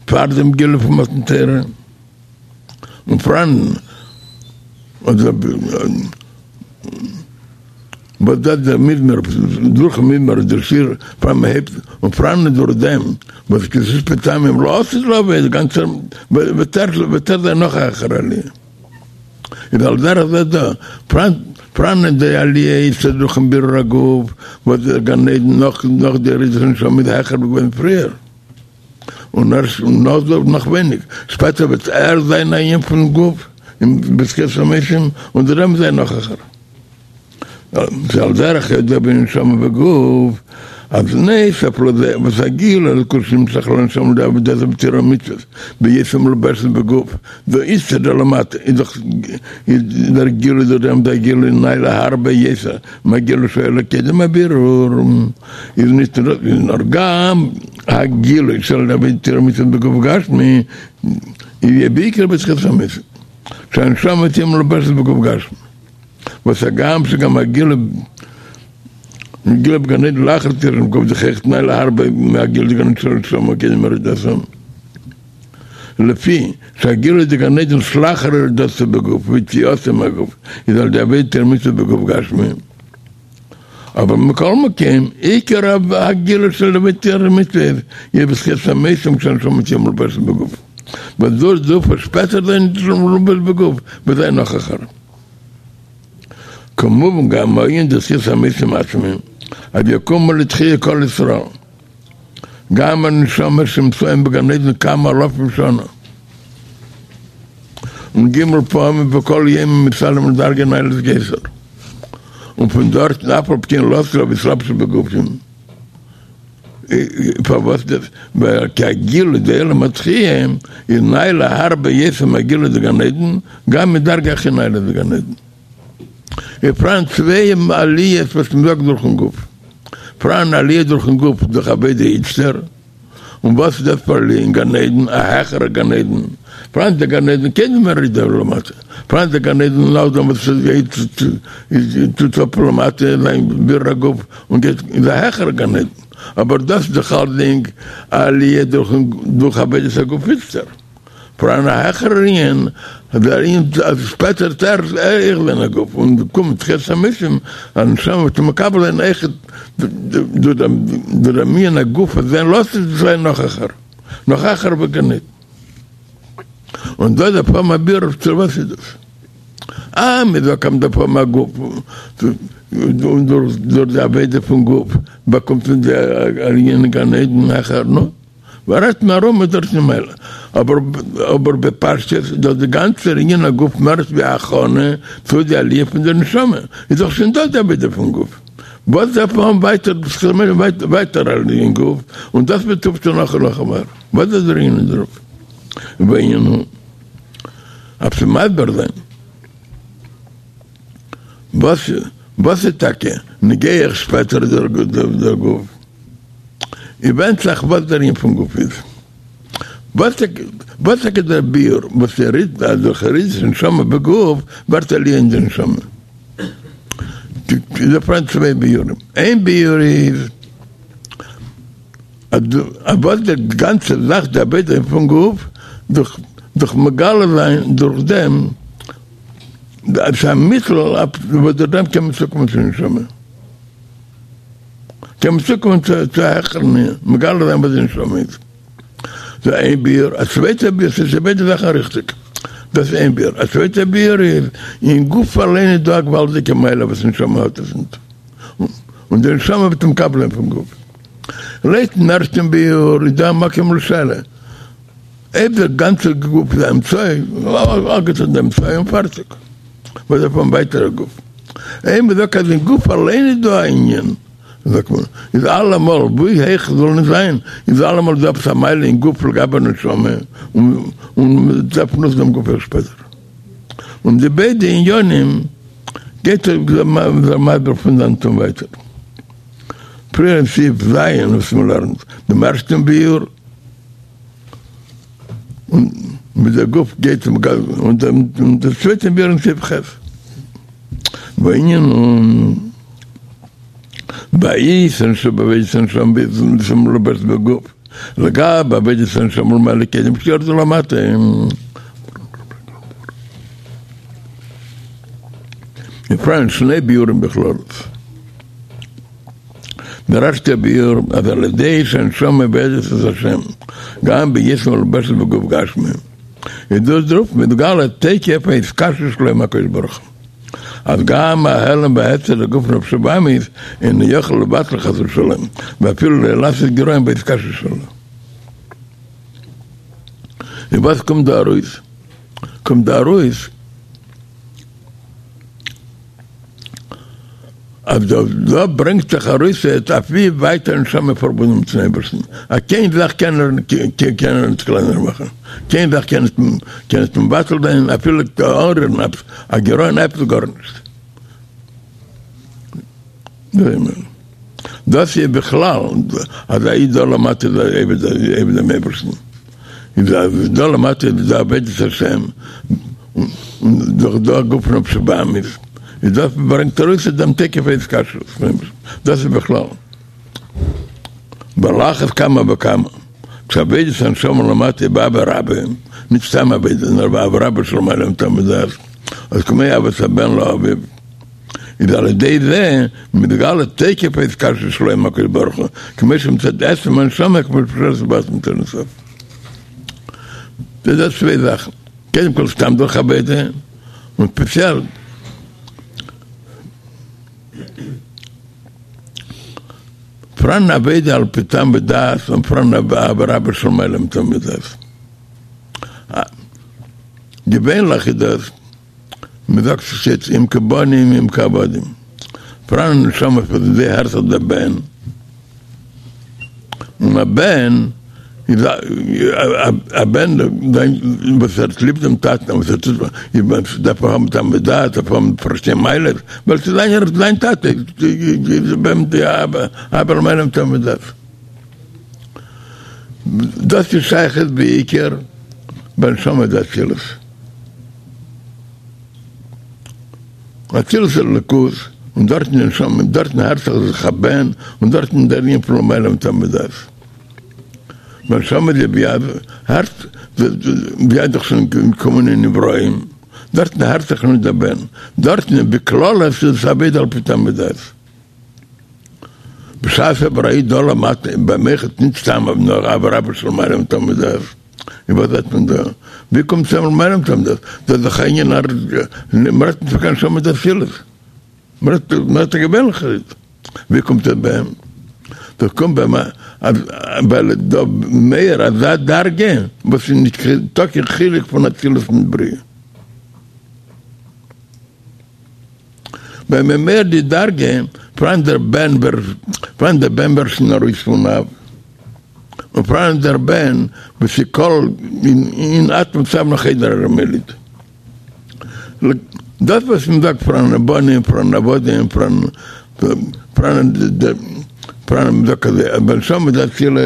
פאר דעם גילוי פון מתן תורה, און פאראן וואס דאס דער מזמור, דורכן מזמור איז דער שיר פאר מען הייבט, און פאראן דורך דעם וואס כי תשפוט עמים לעתיד לבוא איז גאנצער וועט ער זיין נאך א העכערע עליה. איז על דרך זה דא, פאראן די עליה איז דורכן בירור הגוף וואס דער גן עדן נאך נאך די ירידת הנשמה איז העכער ווי געווען פריער, און ערשט נאך דא נאך ווייניג, שפעטער וועט ער זיין א ענין פון גוף אין בתחיית המתים און דער אמת זיין נאך העכער. זה על דרך הידוע בענין נשמה וגוף, אז נוסף לזה וואס הגילוי אלקות שנמשך לנשמה על ידי עבודתה בתורה ומצוות, בהיותה מלובשת בגוף, דא איצטער דא למטה איז דאך איז דער גילוי דורך דעם דער גילוי נעלה הרבה יותר מהגילוי שהיה לו קודם הבירור, איז נישט נאר גם הגילוי של עבודת תורה ומצוות בגוף גשמי יהיה בעיקר בתחיית המתים, שהנשמה תהיה מלובשת בגוף גשמי. וואס הגם שגם הגילוי גילוי בגן עדן לאחר יצירת הגוף איז אויכעט נעלה הרבה מהגילוי דגן עדן של נשמה קודם ירידתה לפי שהגילוי דגן עדן שלאחר ירידתה בגוף ויציאתה מהגוף איז על ידי עבודת תורה ומצוות בגוף גשמי אבער מכל מקום עיקר הגילוי של עבודת תורה ומצוות יהיה בתחיית המתים כשהנשמה תהיה מלובשת בגוף וואס דאס דארף שפעטער זיין מלובש בגוף וועט זיין נאך העכער. כמובן גם הענין דתחיית המתים עצמה, אז יקומו לתחייה כל ישראל, גם הנשמות שנמצאים בגן עדן כמה אלפים שנה, און ג' פעמים בכל יום מתעלים לדרגה נעלית יותר, און פון דארטן אף על פי כן לעתיד לבוא יתלבשו בגופים. פארוואס דאס? ווייל כי הגילוי דעולם התחייה איז נעלה הרבה יותר מהגילוי דגן עדן, גם מדרגה הכי נעלה דגן עדן. איז פאראן צוויי עליות וואס מען זאגט דורכן גוף. פאראן עליה דורכן גוף דורך עבודה איצטער, און וואס איז דאס פאר עליה אין גן עדן, א העכערע גן עדן. פאראן דער גן עדן קודם ירידה למטה, פאראן דער גן עדן נאכדעם וואס עס גייט טוט אפ למטה זיין בירור הגוף און גייט איז א העכערע גן עדן, אבער דאס איז דאך אלסדינג א עליה דורך עבודת הגוף איצטער, פאראן א העכערער ענין, דער ענין אז שפעטער וועט ער אויך זיין א גוף און קומען תחיית המתים, א נשמה וועט מקבל זיין אויכעט דורך דעם ענין הגוף אז זיין לעתיד זיין נאך העכער, נאך העכער בגן עדן. און דא דארף האבן א בירור צו וואס איז דאס. אה, מען זאגט אז מען דארף האבן א גוף, און דורך די עבודה פון גוף באקומט מען די עליה אין גן עדן העכער, נו, ווער רעדט מען ארום דארט ממילא. אבער אבער בפשטות איז דאך די גאנצער ענין הגוף מער ווי א הכנה צו די עליה פון די נשמה, איז דאך שוין דא די עבודה פון גוף. וואס דארף מען האבן ווייטער ווייטער עליה אין גוף, און דאס וועט אויפטון נאך און נאך מער. וואס איז דער ענין דערויף? והענין הוא, אויף צו מסביר זיין. וואס וואס איז טאקע נוגע אויך שפעטער דער גוף? איז ווענדט זיך וואס דער ענין פון גוף איז. וואס טאקע דער ביאור וואס יריד אז דורך ירידת הנשמה בגוף ווערט עליה אין די נשמה? איז דא פאראן צוויי ביאורים. איין ביאור איז אז וואס די גאנצע זאך די עבודה פון גוף דורך דורך מגלה זיין דורך דעם ס'איז א מיטל וואס דורך דעם קען מען צוקומען צו נשמה. קען מען צוקומען צו א העכערן ענין, מגלה זיין וואס די נשמה איז. דאס איז איין ביאור, א צווייטע ביאור, ס'איז ביידע זאכן ריכטיג. דאס איז איין ביאור. א צווייטע ביאור איז, אין גוף אליין איז דא א געוואלדיגע מעלה וואס נשמה האט עס ניט. און די נשמה וועט מקבל זיין פון גוף. לויטן ערשטן ביאור איז דא א מקום לשאלה. אויב דער גאנצער גוף איז א אמצעי, אפגעטון די אמצעי און פארטיג. וואס דארף מען ווייטער א גוף? אויב מ'זאגט אז אין גוף אליין איז דא א ענין, זאגט מען, איז אלעמאל, ווי הויך עס זאל נישט זיין, איז אלעמאל דא עפעס א מעלה אין גוף לגבי נשמה, און מ'דארף נוצן דעם גוף אויך שפעטער. און די ביידע עניינים גייט ער מסביר פון דאנעט און ווייטער. פריער אין סעיף ז' וואס מ'לערנט דעם ערשטן ביאור. און מיט דער גוף גייט און דער צווייטער ביאור אין סעיף ח'. והענין הוא ביתרון שבעבודת הנשמה בהיותה מלובשת בגוף לגבי עבודת הנשמה למעלה קודם שירדו למטה. פאראן שני ביאורים בכללות. דער ערשטער ביאור אז על ידי שהנשמה עובדת את השם גם בהיותה מלובשת בגוף גשמי איז דורך דערויף מתגלה תוקף ההתקשרות שלו עם הקדוש ברוך הוא אז גם ההעלם וההסתר דגוף נפש הבהמית אינו יכול לבטל חס ושלום ואפילו לא לעשות גירעון בהתקשרות שלו. און וואס קומט דא ארויס? קומט דא ארויס אז דא דא ברענגט זיך ארויס אויף ווי ווייט א נשמה פארבונדן מיטן אייבערשטן, אז קיין זאך קען ער קען ער נישט קלענער מאכן, קיין זאך קען נישט קען נישט מבטל זיין אפילו אנרירן עפעס א גירעון עפעס גארנישט. דאס איז בכלל אז א איד דא למטה איז ער עובד דעם אייבערשטן, איז אז דא למטה איז דא עבודת השם, און דורך דא גוף נפש הבהמית, איז דאס ברענגט ארויס דעם תוקף ההתקשרות פון אייבערשטן, דאס איז בכלל. ועל אחת כמה וכמה, כשעבודת הנשמה למטה היא באהבה רבה, נישט סתם עבודה, נאר באהבה רבה שלמעלה מטעם ודעת, אז כמו אהבת הבן לאביו, איז על ידי זה מתגלה תוקף ההתקשרות שלו עם הקדוש ברוך הוא, כמו שמצד עצם הנשמה כמו שפשט בעצמות אין סוף. דאס איז צוויי זאכן, קודם כל סתם דורך עבודה, און ספעציעל פאראן עבודה על פי טעם ודעת און פאראן אהבה רבה שלמעלה מטעם ודעת. געווענליך איז דאס מען זאגט ס'שטייט אם כבנים אם כעבדים, פאראן א נשמה וואס אין זיי הערט זיך דער בן, און א בן איז א בן וואס האט ליב דעם טאטן, וואס ער טוט דארף ער האבן טעם ודעת, דארף האבן פארשטיין מעלות, ווייל ס'איז זיין זיין טאטע, איז ביי אים די אהבה למעלה מטעם ודעת. דאס איז שייכות בעיקר בנשמה דאצילות. אצילות איז אלוקות, און דארטן איז נשמה, דארטן הערט זיך זיך א בן, און דארטן איז דער ענין פון למעלה מטעם ודעת. בנשמה דבי"ע הערט בי"ע דאך שוין געקומען אין נבראים, דארטן הערט זיך נישט דער בן, דארטן איז בכללות איז עס עבודה על פי טעם ודעת. בשעת אבער א איד דא למטה ביי אים אויכעט נישט סתם נאר אהבה רבה שלמעלה מטעם ודעת. און וואס זעט מען דא? ווי קומט צו למעלה מטעם ודעת? דאס איז דאך א ענין אז מ'רעדט נישט פון קיין נשמה דאצילות, מ'רעדט מ'רעדט א געווענליכער איד, ווי קומט עס ביי אים? דאס קומט ביי אים אז ווייל איז דא מער אזא דרגה וואס איז נישטא קיין חילוק פון אצילות מיט בריאה. ביי אים מער די דרגה פאראן דער בן פאראן דער בן ווערט שוין ארויס פון אב. און פאראן דער בן וואס איז כל אין עצמות אב נאך איידער ער מוליד. דאס וואס מען זאגט פאראן בנים פאראן עבדים פאראן פאראן פאראן מען זאגט אז ביי נשמה דאצילות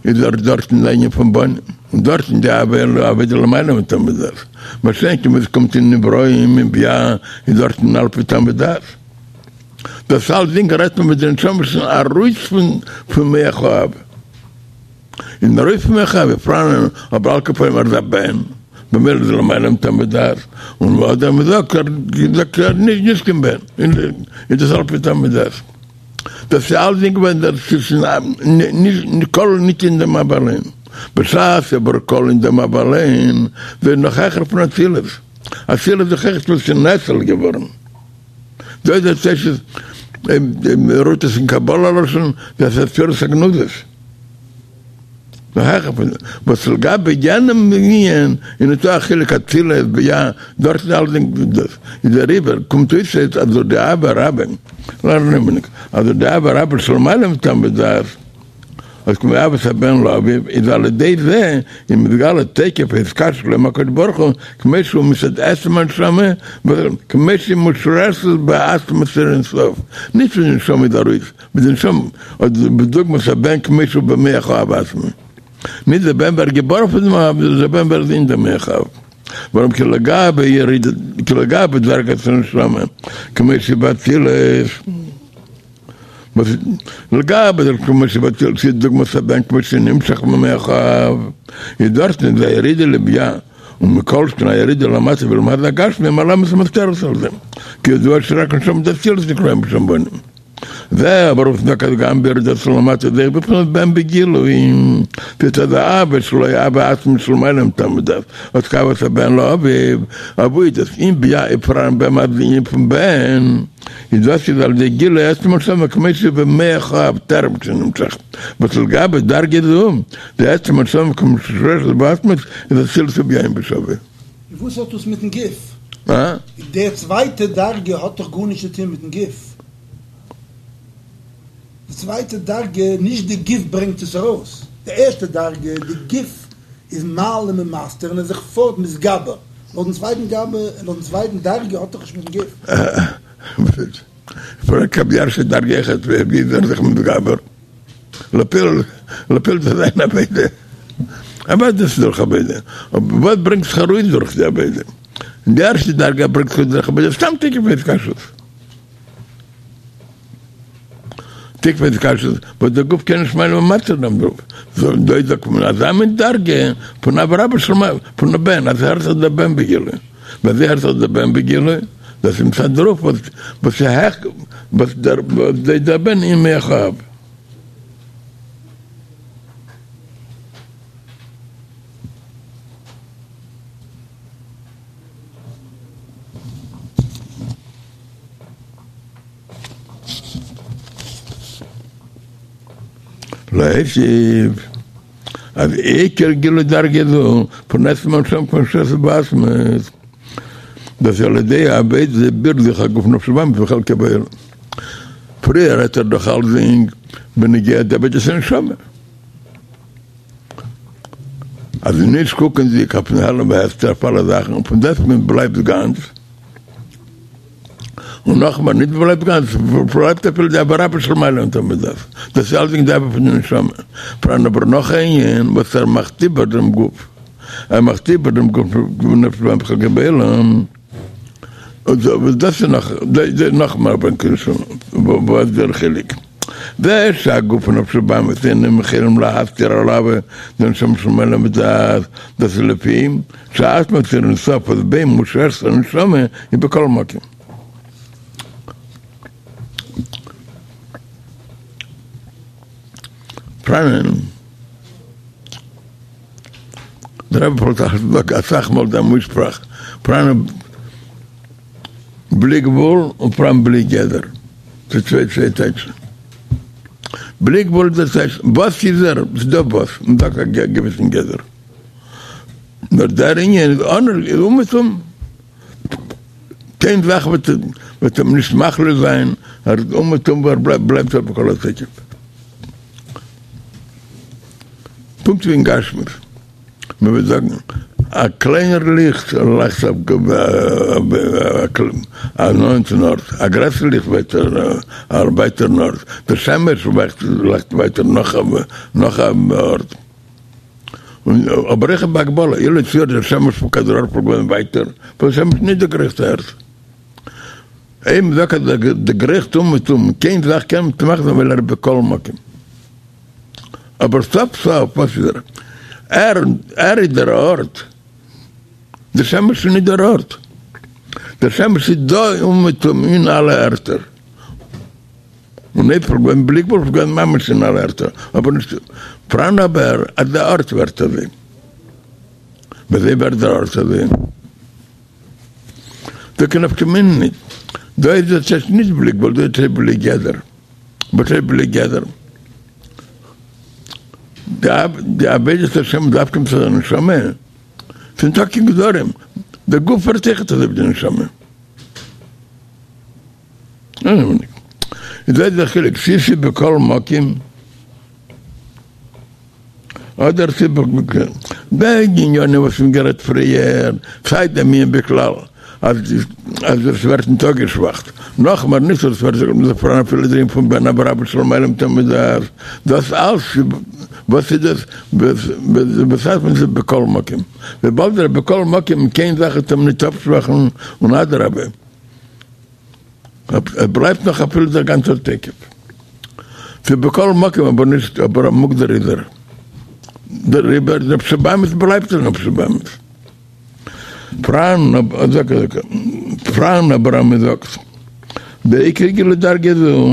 איז דארט דארטן די ענין פון בנים און דארטן די אהבה דלמעלה מטעם ודעת מה שאין כן ווען עס קומט אין נבראים אין בי"ע איז דארטן על פי טעם ודעת דאס אלסדינג רעדט מען מיט די נשמה שוין ארויס פון פון מח האב. און ארויס פון מח האב פאראנען אבער על כל פנים ער איז א בן במילא איז למעלה מטעם ודעת און אדער מען זאגט ער זאגט ער נישט נישט קיין בן איז דאס על פי טעם ודעת דאס איז אלסדינג ווען דער ס'איז נישט כלול נישט אין דעם אב אליין בשעת אבער כלול אין דעם אב אליין ווערט נאך העכער פון אצילות אצילות איז דאך עכט וואס איז נאצל געווארן. דא איז דער טייטש רופט עס אין קבלה לשון דאס איז ספירת הגנוזות. נאך העכער פון דעם, וואס לגבי יענעם ענין איז ניטא א חילוק אצילות בי"ע, דארט איז אלסדינג דאס איז דעריבער קומט אויס אז דורך די אהבה רבה, לערנען אז דורך די אהבה רבה שלמעלה מטעם ודעת, אז כמו אהבת הבן לאביו איז על ידי זה איז מתגלה תוקף ההתקשרות עם הקדוש ברוך הוא כמו שהוא מצד עצם הנשמה כמו שהיא מושרשת בעצמות אור אין סוף, נישט ווי די נשמה איז ארויס, ווי די נשמה אדער בדוגמת הבן כמו שהוא במח האב עצמו, נישט דער בן ווערט געבארן פון דעם אב, נאר דער בן ווערט אין דעם מח האב, ווארום כי לגבי ירידה כי לגבי דרגת הנשמה כמו שהיא באצילות. וואס לגבי דער כמו שבאצילות דוגמת הבן כמו שנמשך ממח האב, איז דארטן איז א ירידה לבי"ע, ומכל שכן א ירידה למטה בעולם הזה הגשמי מעלמת ומסתרת על זה, כידוע שרק נשמה דאצילות נקראים בשם בנים. זה אבער וואס מ'זאגט אז גם בירידתו למטה איז אויך בבחינת בן בגילוי, מצד האהבה שלו אהבה עצמית שלמעלה מטעם ודעת, אט כאהבת הבן לאביו, עבודת אין בי"ע איז פאראן ביי אים דער ענין פון בן. איז דאס איז על ידי גילוי עצם הנשמה כמו שהיא במח האב טרם שנמשך, וואס לגבי דרגה זו, די עצם הנשמה כמו שמושרשת בעצמות איז אצילות ובי"ע אין בשווה. און וואס האט דאס מיטן גוף? אה? די צווייטע דרגה האט דאך גארנישט צו טון מיטן גוף. די צווייטע דרגה, נישט די גוף ברענגט עס ארויס. די ערשטע דרגה, די גוף איז מעלים און מסתיר און איז זיך פארט מתגבר. לויטן צווייטן גאבע, לויטן צווייטן דרגה האט דאך נישט מיטן גוף. פרעגט אויף די ערשטע דרגה אויכעט ווי איז ער זיך מתגבר? לפועל לפועל דאס זיין עבודה. אוודאי דאס איז דורך עבודה. אבער וואס ברענגט זיך ארויס דורך די עבודה? אין די ערשטע דרגה ברענגט זיך ארויס דורך עבודה סתם תוקף ההתקשרות. תוקף ההתקשרות וואס דער גוף קען נישט מעלים ומסתיר זיין דערויף, דא איז דאך אזא מין דרגה פון אהבה רבה של מעלה פון א בן, אז הערט זיך דער בן בגילוי, ווי אזוי הערט זיך דער בן בגילוי, דאס איז מצד דערויף וואס וואס איז העכער וואס דער וואס דער בן אין מח האב. להוסיף אז עיקר גילוי דרגה זו פון עצם הנשמה כמו שמושרשת בעצמות דאס איז על ידי עבודת בירור זיכוך הגוף נפש הבהמית וחלקו בעולם. פריער רעדט ער דאך אלסדינג בנוגע די עבודת הנשמה. אז נישט קוקנדיג אויפן העלם והסתר אויף אלע זאכן, פון דעסטוועגן בלייבט גאנץ. און נאכמער, נישט בלייבט גאנץ, בלייבט אפילו די אהבה רבה שלמעלה מטעם ודעת, דאס איז אלסדינג די אהבה פון די נשמה, פאראן אבער נאך א ענין וואס ער מאכט איבער דעם גוף, ער מאכט איבער דעם גוף נפש הבהמית וחלקו בעולם, וואס דאס איז נאך, נאך מער וואס דער חילוק. זה שהגוף ונפש הבהמית אינם יכולים להסתיר על האהבה דנשמה שלמעלה מדעת, דאס איז לפי שעצמות אור אין סוף וואס בו מושרשת הנשמה היא בכל מקום. פאראנען דער רבי פלעגט אסאך מאל דעם אויסשפראך פאראנען בלי גבול און פאראן בלי גדר, ס'איז צוויי צוויי טייטשן. בלי גבול דאס הייסט וואס איז ער? ס'איז דא וואס, און דא א געוויסן גדר. נאר דער ענין איז אנער איז אומעטום, קיין זאך וועט וועט אים נישט מכליל זיין, ער איז אומעטום וואו ער בלייבט בלייבט ער בכל התוקף. פונקט ווי אין גשמיות, מען וועט זאגן. א קליינער ליכט לייכט אויף א נאענטן ארט, א גרעסער ליכט ווייטער א ווייטערן ארט, דער שמש לייכט ווייטער נאך א ארט, אבער אויך בהגבלה, אילו יצוייר דער שמש פון כדור הארץ וואלט געווען ווייטער, וואלט דער שמש נישט דערגרייכט די ערד. אויב מ'זאגט אז ער דערגרייכט אומעטום, קיין זאך קען מען נישט מאכן ווייל ער איז בכל מקום. אבער סוף סוף וואס איז ער? ער ער איז דער ארט. דער שמש איז נישט דער ארט. דער שמש איז דא אומעטום אין אלע ערטער. און אויב ס'וואלט געווען בלי גבול וואלט געווען ממש אין אלע ערטער. אבער נישט פאראן אבער אז דער ארט ווערט אזוי. וויאזוי ווערט דער ארט אזוי? דא קיין נפקא מינה ניט. דא איז דאס הייסט נישט בלי גבול, דא איז עס בלי גדר. וואס הייסט בלי גדר? די עבודת השם דווקא מצד הנשמה, ס'איז ניטא קיין גדרים, דער גוף ווערט אויכעט אזוי ווי די נשמה. איז דא איז דער חילוק, צי ס'איז בכל מקום, אדער ס'איז די ענינים וואס מ'האט גערעדט פריער, סיי דעם ענין בכלל אז אז עס ווערט נישט אפגעשוואכט, נאכמער נישט אז עס ווערט זיך פאראן אפילו דער ענין פון בן אבער אבער שלמעלה מטעם ודעת, דאס אלס וואס איז דאס בשעת מען איז בכל מקום, וויבאלד ער איז בכל מקום קיין זאך וועט אים נישט אפשוואכן און אדרבה. עס בלייבט נאך אפילו דער גאנצער תוקף. ס'איז בכל מקום אבער נישט אבער א מוגדר איז ער. דעריבער נפש הבהמית בלייבט ער נפש הבהמית. פראן פראן אבער אז מ'זאגט דער עיקר גילוי דרגה זו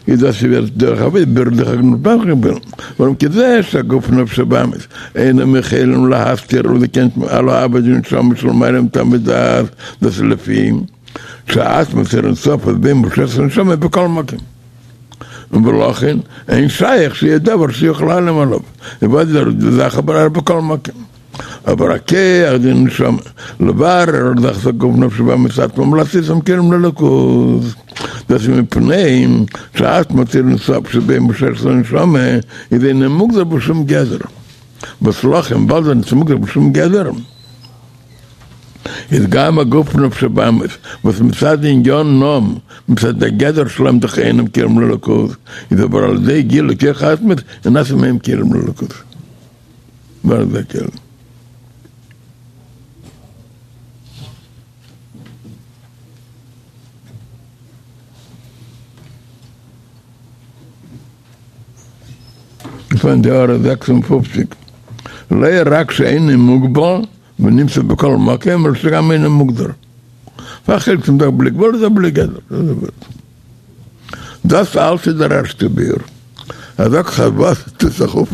איז דאס ווערט דורך עבודה בירור דוחק נפש ווארום כזה שהגוף נפש הבהמית אינם יכולים להסתיר ולקיים על האהבה דנשמה שלמעלה מטעם ודעת דאס איז לפי שעצמות אור אין סוף אז בו מושרשת הנשמה בכל מקום. ולכן אין שייך שיהיה דבר שיכול להעלים עליו, וויבאלד דער זאך אבער ער בכל מקום. אבער הכח דנשמה לברר דחיקת הגוף נפש הבהמית עצמם ולהסיתם כלים לאלוקות, דאס איז מפני שעצמות אור אין סוף שבו מושרשת הנשמה איז אינו מוגדר בשום גדר, וואס לכן וויבאלד ער איז נישט מוגדר בשום גדר, איז גם הגוף נפש הבהמית, וואס מצד ענינם, מצד הגדר שלהם דאך אינם כלים לאלוקות, איז אבער על ידי גילוי כח העצמות איז נעשה מהם כלים לאלוקות. ווערן זיי כלים. פון די הערה 56, לא רק שאינו מוגבל ונמצא בכל מקום, אלא שגם אינו מוגדר. והחלק פון דער בלי גבול איז א בלי גדר. דאס אלץ איז דער ערשטער ביאור. ער זאגט אז וואס טוט זיך אויף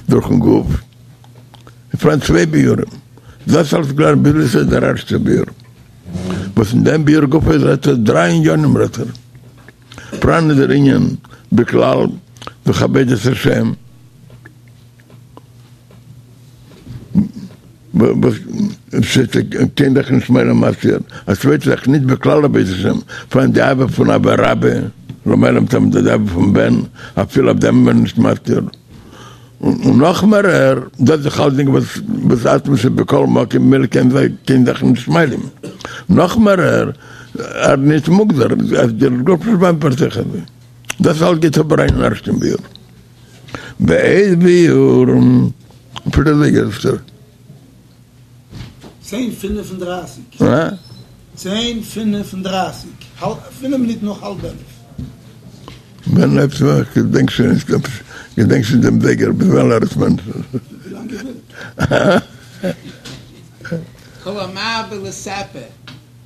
דורכן גוף. איז פאראן צוויי ביאורים. דאס אלץ גלייך ביז איז דער ערשטער ביאור. וואס אין דעם ביאור גופא רעדט ער דריי עניינים רעדט ער. פאראן איז דער ענין בכלל דורך עבודת השם. וואס קיין זאך נישט מעלים ומסתיר, א צווייטע זאך נישט בכלל עבודת השם, פאראן די אהבה פון אהבה רבה, למעלה מטעם די אהבה פון בן, אפילו אויף דעם איז מען נישט מסתיר, און נאך מערער, דאס איז אלסדינג וואס עצמות איז בכל מקום ממילא קען זיי קיין זאך נישט מעלים, נאך מערער, ער נישט מוגדר, אז דער גוף איז ביים פארזיכער, דאס אלס גייט אבער אריין אין ערשטן ביאור. ועוד ביאור פריערדיגער אפשר. צען פינף און דרייסיג. צען פינף און דרייסיג. פינף מינוט נאך האלב עלף. ווען הייבט מען אן? כ'געדענק שוין נישט. כ'געדענק שוין דעם זייגער ביז ווען לערנט מען? ווילאנג איר ווילט. כל המרבה לספר.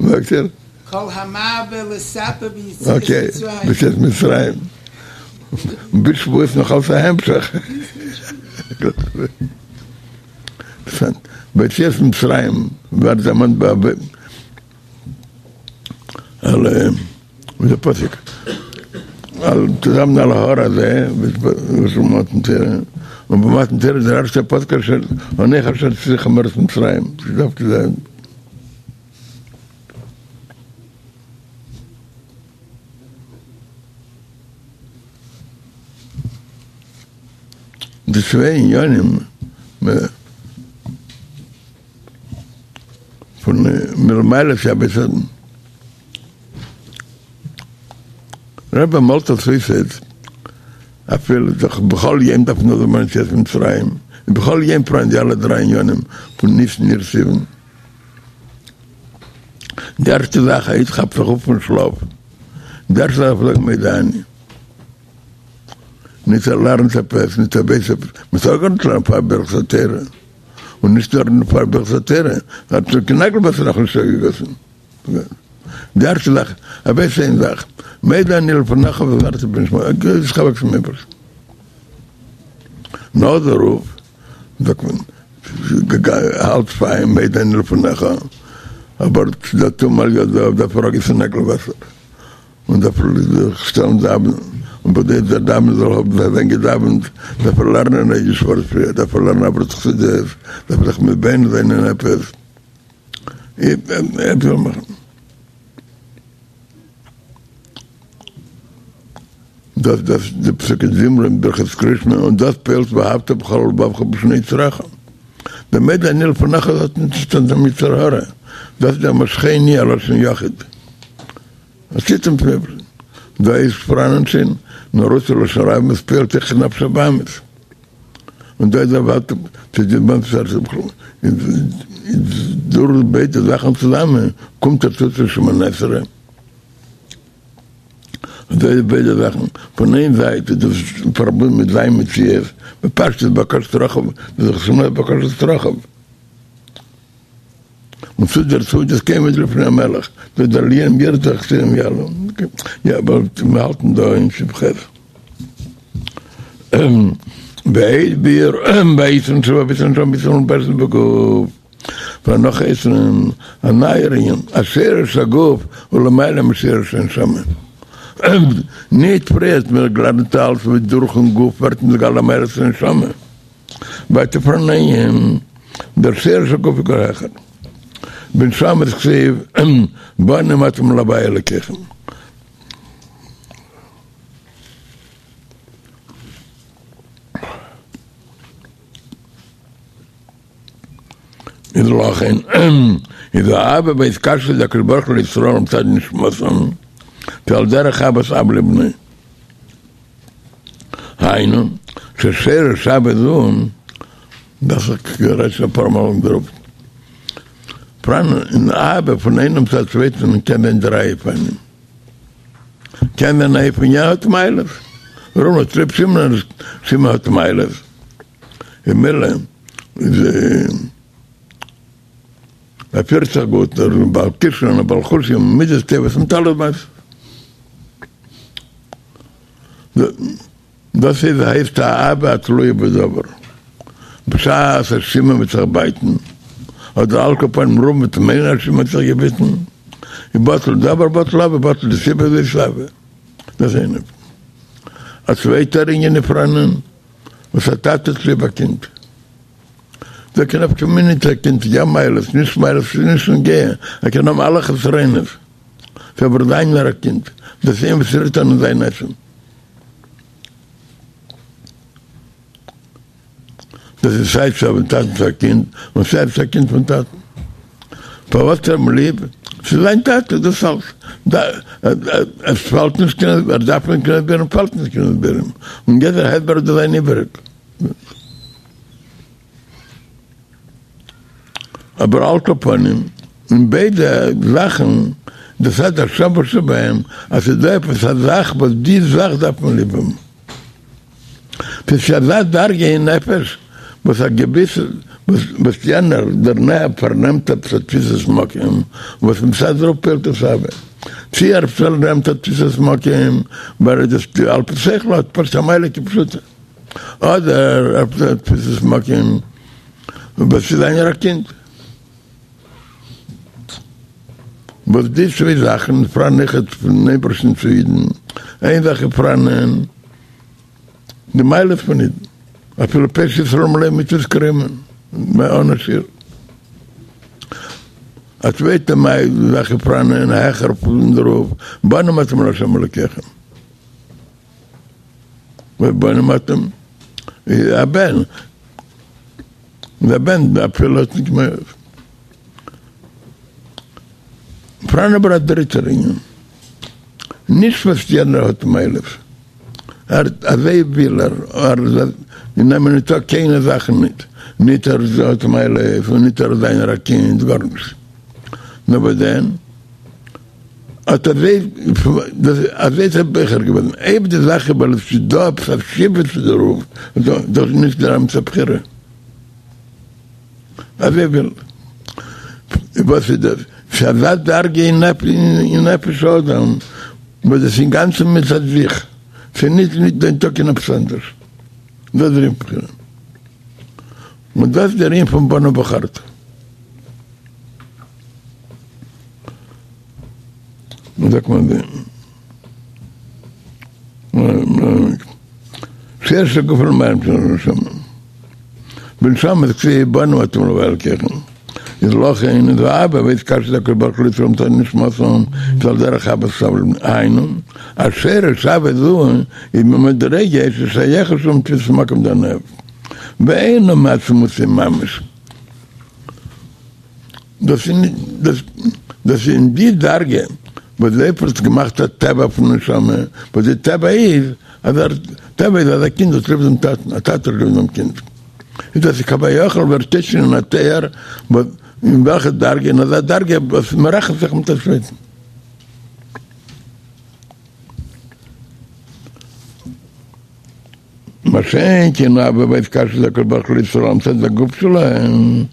זאגט ער. כל המרבה לספר ביציאת מצרים. אקעי, ביציאת מצרים. ביז שבועות נאך אלס א המשך. ביציאת מצרים ווערט דערמאנט ביי על ווי דער פסוק על צוזאמען על ההר הזה וואס מתן תורה און ביי מתן תורה איז דער ערשטער פסוק אשר אנכי אשר הוצאתיך מארץ מצרים ס'דארף צו זיין די צוויי עניינים. מלמעלה שהבית רבי מאלט עס אויס אפילו דאך בכל יום דארף מען דערמאנען יציאת מצרים, און בכל יום פאראן די אלע דריי עניינים פון ניסן אייר סיוון. די ערשטע זאך א איד כאפט זיך אויף פון שלאף, די ערשטע זאך דארף ער זאגן מודה אני. נישט ער לערנט עפעס, נישט ער ווייס עפעס, מען טאר גארנישט לערנען פאר ברכת התורה, און נישט נאר פאר ברכת התורה, האט שוין קיין נעגל וואסער נאכנישט אויסגעגאסן. די ערשטע זאך, ער ווייסט איין זאך, מודה אני לפניך וחזרתי בנשמתי, א גרויס חלק פון אייבערשטן. נאך דערויף זאגט מען, האלט פיין, מודה אני לפניך, אבער ס'דא טומאה על ידו, דארף ער אויסגיסן נעגל וואסער. און דארף ער זיך שטעלן דאווענען, און בכדי דער דאווענען זאל האבן זיין געדאווענט, דארף ער לערנען א אידיש ווארט פריער, דארף ער לערנען א ווארט חסידות, דארף ער זיך מתבונן זיין אין עפעס, עפעס זאל מאכן. דאס דאס די פסוקי דזמרה אין ברכת קריאת שמע, און דאס פועל'ט ואהבת בכל לבבך בשני יצריך. דער מודה אני לפניך האט נישט צו טון מיט יצר הרע, דאס איז דער משכני א לשון יחיד. עשית מיט מיר דא איז פאראנען שוין נאר אויס לשון רבים וואס פועל'ט אויך אין נפש הבהמית און דא איז עבדתם צו די בנ צ איז דורך ביידע זאכן צוזאמען קומט ער צו צו שמונה עשרה און דא איז ביידע זאכן פון איין זייט איז דאס פארבונדן מיט זיין מציאות בפשטות בקשת צרכיו דאס איז שמונה בקשת צרכיו. און צו דערצו איז דאס כעומד לפני המלך, דאס דער עליים ירדו והחסירים יעלו, יא אבער מיר האלטן דא אין סעיף ח'. ועוד ביאור ביתרון שבאהבת הנשמה בישראל מלובשת בגוף, ונאך יתרון, א נייער ענין, אז שרש הגוף הוא למעלה משרש הנשמה. ניט פריער האט מען געלערנט אלץ ווי דורכן גוף ווערט נתגלה מעלת הנשמה. ווייטער פאראן אן ענין, דער שרש הגוף איז גאר העכער. בנשמה דכתיב בנים אתם להוי' אלקיכם. איז לכן איז האהבה והתקשרות דהקדוש ברוך הוא לישראל מצד נשמתם כעל דרך אהבת אב לבנו. היינו, ששרש אהבה זו, דאס האב איך גערעדט שוין אפאר מאל אין דערויף. פאראן אין אהבה פון איינעם צו א צווייטן קען זיין דריי אופנים. קען זיין א אופן יענער האט מעלות. ראובן האט ליב שמעון, שמעון האט מעלות. ממילא איז ער פירט זיך גוט, ער איז בעל כשרון, בעל חושים, מידות טובות, מיט אלע מעשות. דאס איז הייסט א אהבה התלויה בדבר. בשעת אז שמעון וועט זיך בייטן, אדער על כל פנים ראובן וועט מיינען אז שמעון האט זיך געביטן, איז בטל דבר בטל אהבה בטל די סיבה זאת אהבה. דאס איז איין אופן. א צווייטער ענין איז פאראנען וואס א טאטע האט ליב א קינד. דא קיין נפקא מינה ניט א קינד יא מעלות נישט מעלות ס'איז נישט נוגע, ער קען האבן אלע חסרונות. ס'איז אבער זיינער א קינד, דאס איז וואס רירט אן אין זיין עצם. דאס איז סיי צו א טאטן צו א קינד, און סיי צו א קינד פון טאטן. פארוואס האט ער אים ליב? ס'איז זיין טאטע, דאס אלס. עס פאלט נישט קיין, ער דארף נישט קיין הסברים, פאלט נישט קיין הסברים. און יעדער הסבר וועט זיין איבעריג. אבער על כל פנים, אין ביידע זאכן, דאס האט א שווה שבהם, אז ס'איז דא עפעס א זאך וואס די זאך דארף מען ליב האבן. ס'איז אזא דרגה אין נפש וואס א געוויסע, וואס יענער דערנער פארנעמט עפעס א תפיסת מקום, וואס מצד דערויף פועלט עס אהבה. צי ער פארנעמט א תפיסת מקום ווייל ער איז על פי שכל האט פשוט א מעלה כפשוטו. אדער עפעס א תפיסת מקום וואס איז זיינער א קינד. וואס די צוויי זאכן איז פאראן אויכעט פון אייבערשטן צו אידן, איין זאך איז פאראנען די מעלות פון אידן, אפילו פושעי ישראל מלא מצוות כרימון, אן א שיעור. א צווייטע זאך איז פאראנען העכער פון דערויף, בנים אתם לה' אלוקיכם. בנים אתם, א בן, דער בן אפילו האט נישט מער. פאראן אבער א דריטער ענין, נישט וואס יענער האט מעלות, ער אזוי וויל ער, ער אין אים ניטא קיינע זאכן ניט, ניט ער האט מעלות און ניט ער איז זיינער א קינד, גארנישט, נאר וואס דען? אט אזוי אזוי איז ער בוחר געווען, אויב די זאך איז ווייל עס איז דא עפעס א סיבה צו דערויף, איז דאס נישט דער אמת'ע בחירה. אזוי וויל וואס איז דאס? ס'איז אזא דרגה אין נפש האדם וואס דאס איז אינגאנצן מצד זיך, ס'איז נישט נישט ניטא קיין עפעס אנדערש. דאס איז דער ענין בחירה. און דאס איז דער ענין פון בנו בחרת. ווי זאגט מען דעם? שרש הגוף למעלה מהנשמה. בנשמה איז כתיב בנים אתם להוי' אלקיכם. איז לכן איז אהבה והתקשרות הקדוש ברוך הוא לישראל מצד נשמתם איז על דרך אהבת אב לבנו. היינו, אז שרש אהבה זו איז ממדרגה ששייכת לו מתפיסת מקום דנאהב. ואינו מעצמותו ממש. דאס איז דאס איז אין די דרגה וואס דער אייבערשטער האט געמאכט א טבע פון נשמה, וואס די טבע איז אז ער, טבע איז אז א קינד האט ליב דעם טאטן, א טאטע האט ליב דעם קינד, איז דאס איז כביכול ווערט שוין אין א תואר וואס אין וועלכע דרגה, אין אזא דרגה וואס מען רעכנט זיך מיט א צווייטן. מה שאין כן אהבה והתקשרות הקדוש ברוך הוא לישראל מצד הגוף שלהם,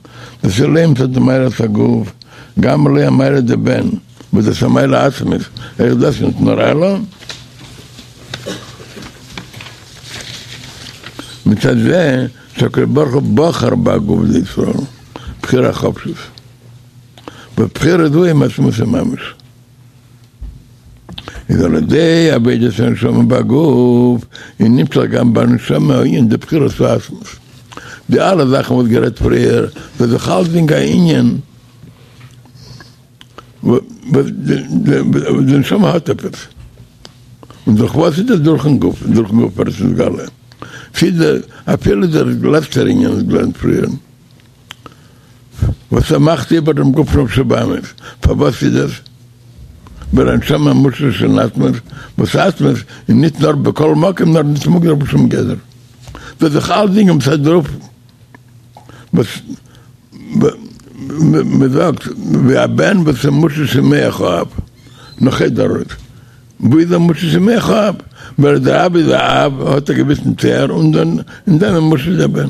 דאס איז לא מצד מעלת הגוף, גם לא המעלה דבן, וואס דאס איז א מעלה עצמית, אויך דאס ניט נאר אלא מצד זה שהקדוש ברוך הוא בחר בגוף דישראל, בחירה חופשית, ובחירה זו היא מעצמותו ממש. איז על ידי עבודת הנשמה בגוף, איז נמשך גם בנשמה הענין דבחירת העצמות. די אלע זאכן וואס גערעדט פריער, דאס איז דאך אלסדינג א ענין וואס די נשמה האט עפעס. און דורך וואס איז דאס? דורכן גוף, דורכן גוף ווערט עס נתגלה. אפילו דער לעצטער ענין וואס געלערנט פריער. וואס ער מאכט איבער דעם גוף נפש הבהמית, פארוואס איז עס ווייל הנשמה מושרש אין עצמות, וואס עצמות איז ניט נאר בכל מקום נאר ניט מוגדר בשום גדר, דאס איז דאך אלסדינג מצד דערויף וואס מען זאגט ווי א בן וואס איז מושרש אין מח האב, נאך דערויף וואו איז ער מושרש אין מח האב, ווייל דער אב איז א אב האט א געוויסן תואר און דאן אין דעם איז מושרש דער בן.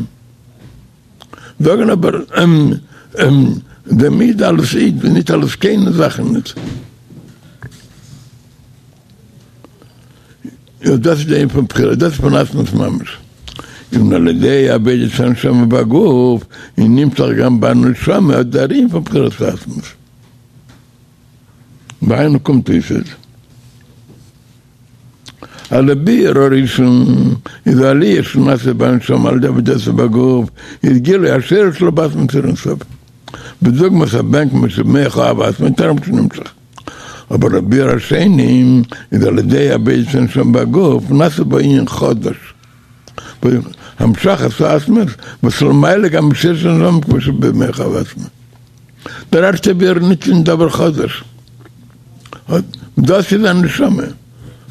זאגן אבער דעם איד אלס איד און ניט אלס קיינע זאכן ניט. און דאס איז די ענין פון בחירה, דאס איז פון עצמות ממש. און על ידי עבודת הנשמה בגוף, איז נמשך גם בנשמה אט דער ענין פון בחירת העצמות. והיינו קומט אויס אז. אז דער ביאור הראשון איז עליה שנעשה בנשמה על ידי עבודתה בגוף איז גילוי השורש שלה בעצמות אור אין סוף בדוגמת הבן כמו שבמח האב עצמו טרם שנמשך אבער דער ביאור השני איז על ידי עבודת הנשמה בגוף נעשה בה ענין חדש המשכת העצמות וואס למעלה גם משרש הנשמה כמו שבמח האב עצמו דער ערשטער ביאור ניט קיין דבר חדש. דאס איז א נשמה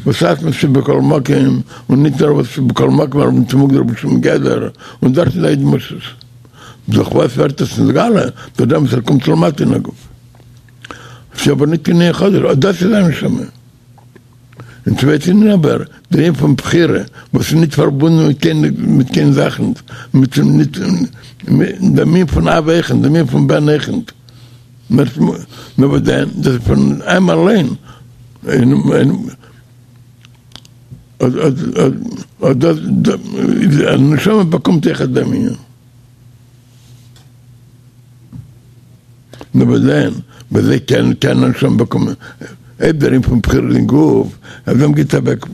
וואס עצמות איז בכל מקום, און ניט נאר וואס איז בכל מקום נאר ניט מוגדר בשום גדר, און דארט איז א איד מושרש. דורך וואס ווערט עס נתגלה? דורך דעם וואס ער קומט למטה אין הגוף. ס'איז אבער ניט קיין ענין חדש, אט דאס איז א נשמה. אין צווייטן ענין אבער, דער ענין פון בחירה, וואס איז ניט פארבונדן מיט קיין מיט קיין זאכן, מיט ניט דעם ענין פון אב אויכעט, דעם ענין פון בן אויכעט. נאר וואס דען, דאס איז פון אים אליין, און דאס די נשמה באקומט אויכעט דעם ענין. נאר וואס דען, ווי אזוי קען קען א נשמה באקומען, אויב דער ענין פון בחירה אין גוף, אז אים גיט אוועק.